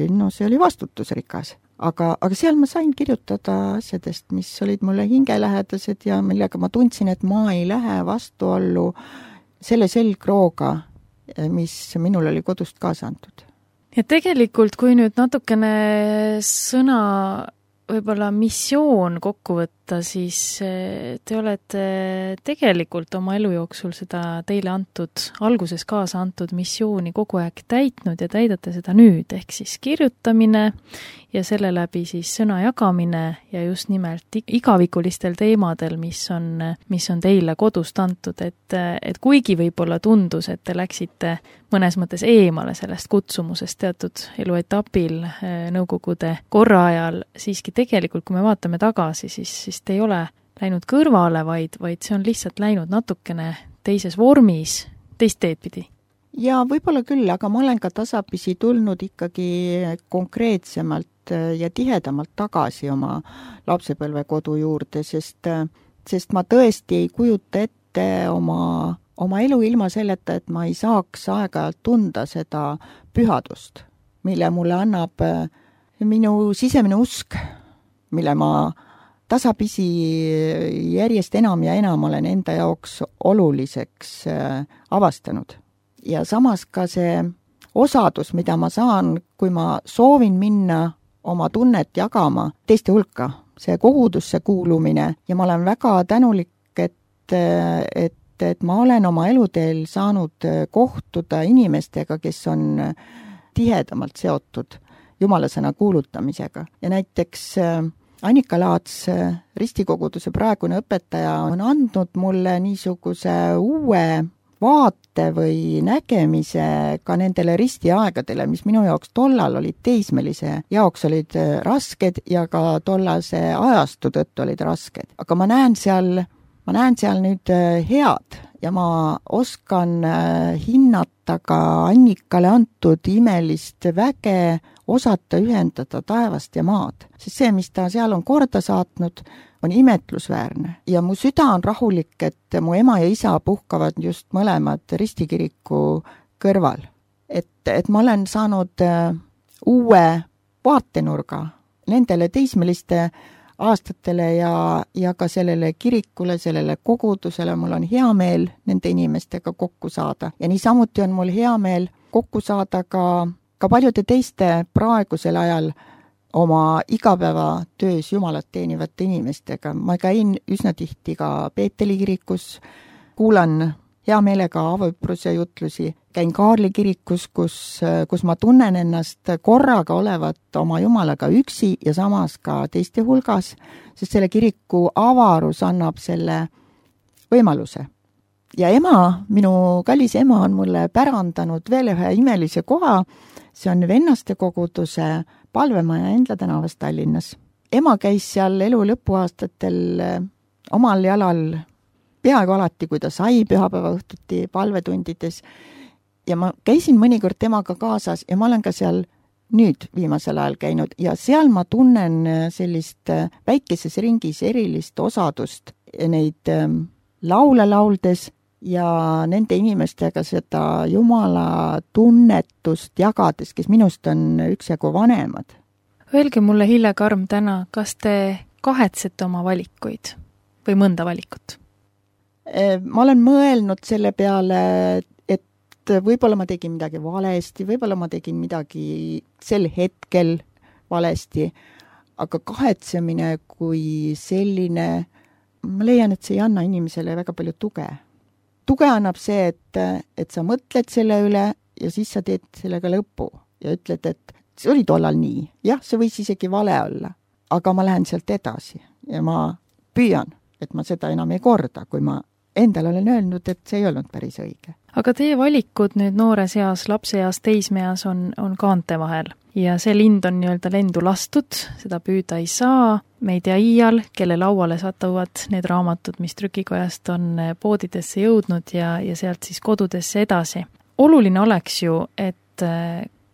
oli vastutusrikas. Aga seal ma sain kirjutada asjadest, mis olid mulle hingelähedased ja millega ma tundsin, et ma ei lähe vastuollu selle selgrooga, mis minul oli kodust kaasa antud. Ja tegelikult, kui nüüd natukene sõna võib-olla missioon kokku võtta, siis te olete tegelikult oma elu jooksul seda teile antud, alguses kaasa antud missiooni kogu aeg täitnud ja täidate seda nüüd, ehk siis kirjutamine ja selle läbi siis sõna jagamine ja just nimelt igavikulistel teemadel, mis on teile kodust antud, et kuigi võib-olla tundus, et te läksite mõnes mõttes eemale sellest kutsumusest teatud eluetapil Nõukogude korra ajal, siiski tegelikult, kui me vaatame tagasi, siis te ei ole läinud kõrvale, vaid see on lihtsalt läinud natukene teises vormis, teist teed pidi. Ja võib-olla küll, aga ma olen ka tasapisi tulnud ikkagi konkreetsemalt ja tihedamalt tagasi oma lapsepõlvekodu juurde, sest ma tõesti ei kujuta ette oma elu ilma selleta, et ma ei saaks aeg-ajalt tunda seda pühadust, mille mulle annab minu sisemine usk, mille ma tasapisi järjest enam ja enam olen enda jaoks oluliseks avastanud. Ja samas ka see osadus, mida ma saan, kui ma soovin minna oma tunnet jagama teiste hulka, see kogudusse kuulumine ja ma olen väga tänulik, et ma olen oma eluteel saanud kohtuda inimestega, kes on tihedamalt seotud jumalasõna kuulutamisega. Ja näiteks Annika Laats, ristikoguduse praegune õpetaja, on andnud mulle niisuguse uue vaate või nägemise ka nendele ristiaegadele, mis minu jaoks tollal olid teismelise jaoks olid rasked ja ka tollase ajastu tõttu olid rasked. Aga ma näen seal nüüd head ja ma oskan hinnata ka Annikale antud imelist väge osata ühendada taevast ja maad. Sest see, mis ta seal on korda saatnud, on imetlusväärne. Ja mu süda on rahulik, et mu ema ja isa puhkavad just mõlemad ristikiriku kõrval. Et ma olen saanud uue vaatenurga nendele teismeliste aastatele ja ka sellele kirikule, sellele kogudusele. Mul on hea meel nende inimestega kokku saada. Ja niisamuti on mul hea meel kokku saada ka paljude teiste praegusel ajal oma igapäevatöös Jumalat teenivate inimestega. Ma käin üsna tihti ka Peeteli kirikus, kuulan hea meelega Avõpruse jutlusi, käin Kaarli kirikus, kus ma tunnen ennast korraga olevat oma Jumalaga üksi ja samas ka teiste hulgas, sest selle kiriku avarus annab selle võimaluse. Ja minu kallis ema on mulle pärandanud veel ühe imelise koha, see on Vennaste koguduse palvemaja Endla tänavas Tallinnas. Ema käis seal elu lõpuaastatel omal jalal peaaegu alati, kui ta sai pühapäeva õhtuti palvetundides. Ja ma käisin mõnikord temaga kaasas ja ma olen ka seal nüüd viimasel ajal käinud ja seal ma tunnen sellist väikeses ringis erilist osadust neid laule lauldes ja nende inimestega seda Jumala tunnetust jagades, kes minust on üksjagu vanemad. Öelge mulle, Hille Karm, täna, kas te kahetsete oma valikuid või mõnda valikut? Ma olen mõelnud selle peale, võib-olla ma tegin midagi valesti, võib-olla ma tegin midagi sel hetkel valesti, aga kahetsemine kui selline, ma leian, et see ei anna inimesele väga palju tuge. Tuge annab see, et sa mõtled selle üle ja siis sa teed sellega lõpu ja ütled, et see oli tollal nii. Jah, see võis isegi vale olla, aga ma lähen sealt edasi ja ma püüan, et ma seda enam ei korda, kui ma endal olen öelnud, et see ei olnud päris õige. Aga teie valikud nüüd noores eas, lapseeas, teismeeas on kaante vahel ja see lind on nii-öelda lendu lastud, seda püüda ei saa, me ei tea iial, kelle lauale satuvad need raamatud, mis trükikojast on poodidesse jõudnud ja sealt siis kodudesse edasi. Oluline oleks ju, et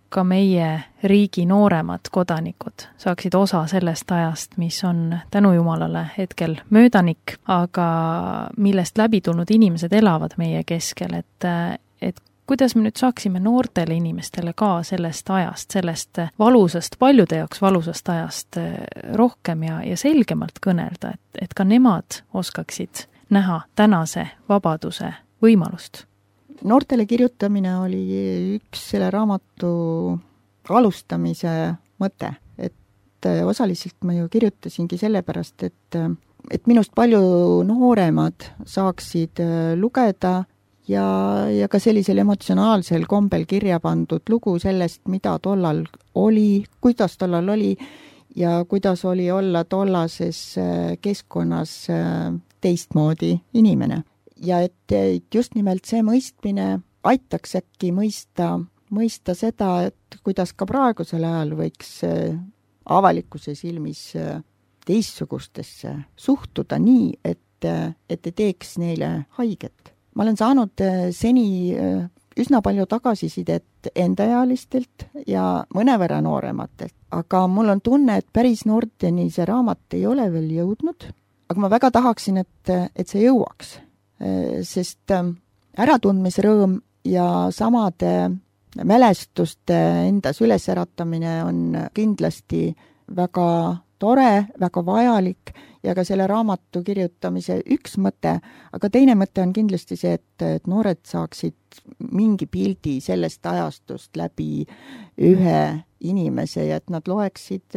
ka meie riigi nooremad kodanikud saaksid osa sellest ajast, mis on tänu Jumalale hetkel möödanik, aga millest läbi tulnud inimesed elavad meie keskel, et kuidas me nüüd saaksime noortele inimestele ka sellest ajast, sellest valusast, paljude jaoks valusast ajast rohkem ja selgemalt kõnelda, et ka nemad oskaksid näha tänase vabaduse võimalust. Noortele kirjutamine oli üks selle raamatu alustamise mõte, et osaliselt ma ju kirjutasingi sellepärast, et minust palju nooremad saaksid lugeda ja ka sellisel emotsionaalsel kombel kirja pandud lugu sellest, mida tollal oli, kuidas tollal oli ja kuidas oli olla tollases keskkonnas teistmoodi inimene. Ja et just nimelt see mõistmine aitaks äkki mõista seda, et kuidas ka praegusel ajal võiks avalikkuse silmis teistsugustesse suhtuda nii, et ei teeks neile haiget. Ma olen saanud seni üsna palju tagasisidet endaealistelt ja mõnevõrra noorematelt, aga mul on tunne, et päris noorteni see raamat ei ole veel jõudnud, aga ma väga tahaksin, et see jõuaks. Sest äratundmisrõõm ja samade mälestuste endas ülesäratamine on kindlasti väga tore, väga vajalik ja ka selle raamatu kirjutamise üks mõte, aga teine mõte on kindlasti see, et noored saaksid mingi pildi sellest ajastust läbi ühe inimese ja et nad loeksid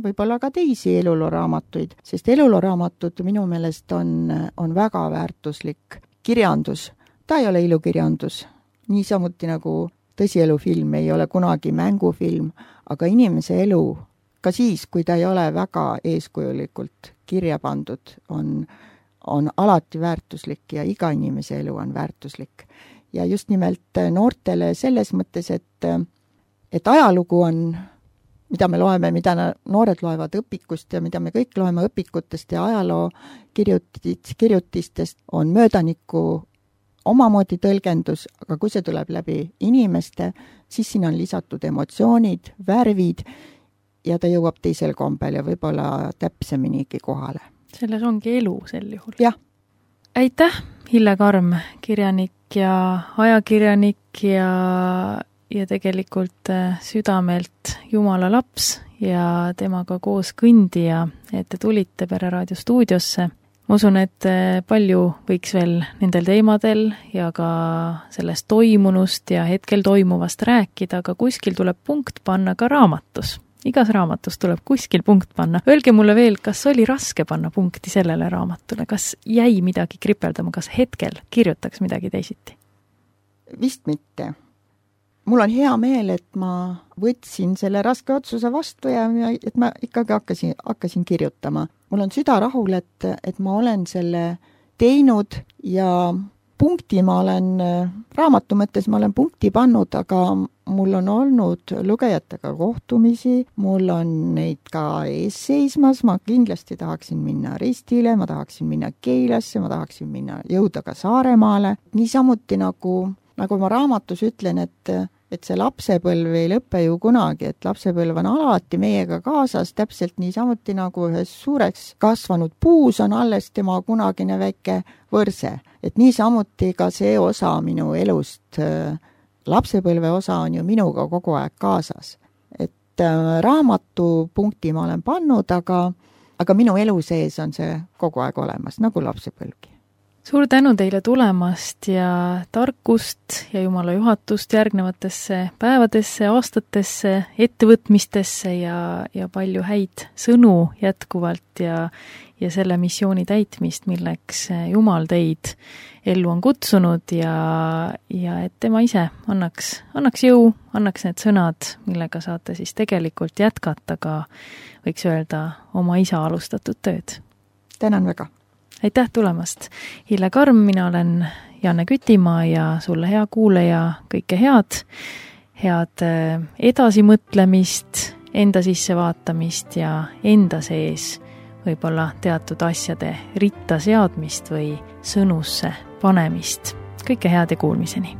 võib-olla ka teisi elulooraamatuid, sest elulooraamatud minu meelest on väga väärtuslik kirjandus. Ta ei ole ilukirjandus, niisamuti nagu tõsielufilm ei ole kunagi mängufilm, aga inimese elu, ka siis, kui ta ei ole väga eeskujulikult kirja pandud, on alati väärtuslik ja iga inimese elu on väärtuslik. Ja just nimelt noortele selles mõttes, et ajalugu on, mida me loeme, mida noored loevad õpikust ja mida me kõik loeme õpikutest ja ajaloo kirjutistest, on möödaniku omamoodi tõlgendus, aga kui see tuleb läbi inimeste, siis siin on lisatud emotsioonid, värvid ja ta jõuab teisel kombel ja võib-olla täpseminigi kohale. Selles ongi elu sel juhul. Jah. Aitäh, Hille Karm, kirjanik ja ajakirjanik ja tegelikult südamelt Jumala laps ja temaga koos kõndija, et te tulite Pereraadio stuudiosse. Ma usun, et palju võiks veel nendel teemadel ja ka sellest toimunust ja hetkel toimuvast rääkida, aga kuskil tuleb punkt panna ka raamatus. Igas raamatus tuleb kuskil punkt panna. Öelge mulle veel, kas oli raske panna punkti sellele raamatule? Kas jäi midagi kripeldama? Kas hetkel kirjutaks midagi teisiti? Vist mitte. Mul on hea meel, et ma võtsin selle raske otsuse vastu ja et ma ikkagi hakkasin kirjutama. Mul on süda rahul, et ma olen selle teinud ja punkti ma olen, raamatu mõttes ma olen punkti pannud, aga mul on olnud lugejatega kohtumisi, mul on neid ka ees seismas, ma kindlasti tahaksin minna Ristile, ma tahaksin minna Keilasse, ma tahaksin jõuda ka Saaremaale. Niisamuti nagu ma raamatus ütlen, et see lapsepõlv ei lõpe ju kunagi, et lapsepõlv on alati meiega kaasas, täpselt niisamuti nagu ühes suureks kasvanud puus on alles tema kunagine väike võrse. Et niisamuti ka see osa minu elust, lapsepõlve osa on ju minuga kogu aeg kaasas. Et raamatupunkti ma olen pannud, aga minu elu sees on see kogu aeg olemas, nagu lapsepõlvgi. Suur tänu teile tulemast ja tarkust ja Jumala juhatust järgnevatesse päevadesse, aastatesse, ettevõtmistesse ja palju häid sõnu jätkuvalt ja selle missiooni täitmist, milleks Jumal teid ellu on kutsunud ja et tema ise annaks jõu, annaks need sõnad, millega saate siis tegelikult jätkata ka, võiks öelda, oma isa alustatud tööd. Tänan väga! Aitäh tulemast! Hille Karm, mina olen Janne Kütimaa ja sulle hea kuulaja kõike head edasimõtlemist, enda sisse vaatamist ja enda sees võib-olla teatud asjade ritta seadmist või sõnusse panemist. Kõike head ja kuulmiseni!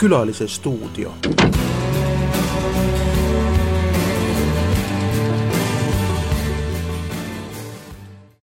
Külalise stuudio.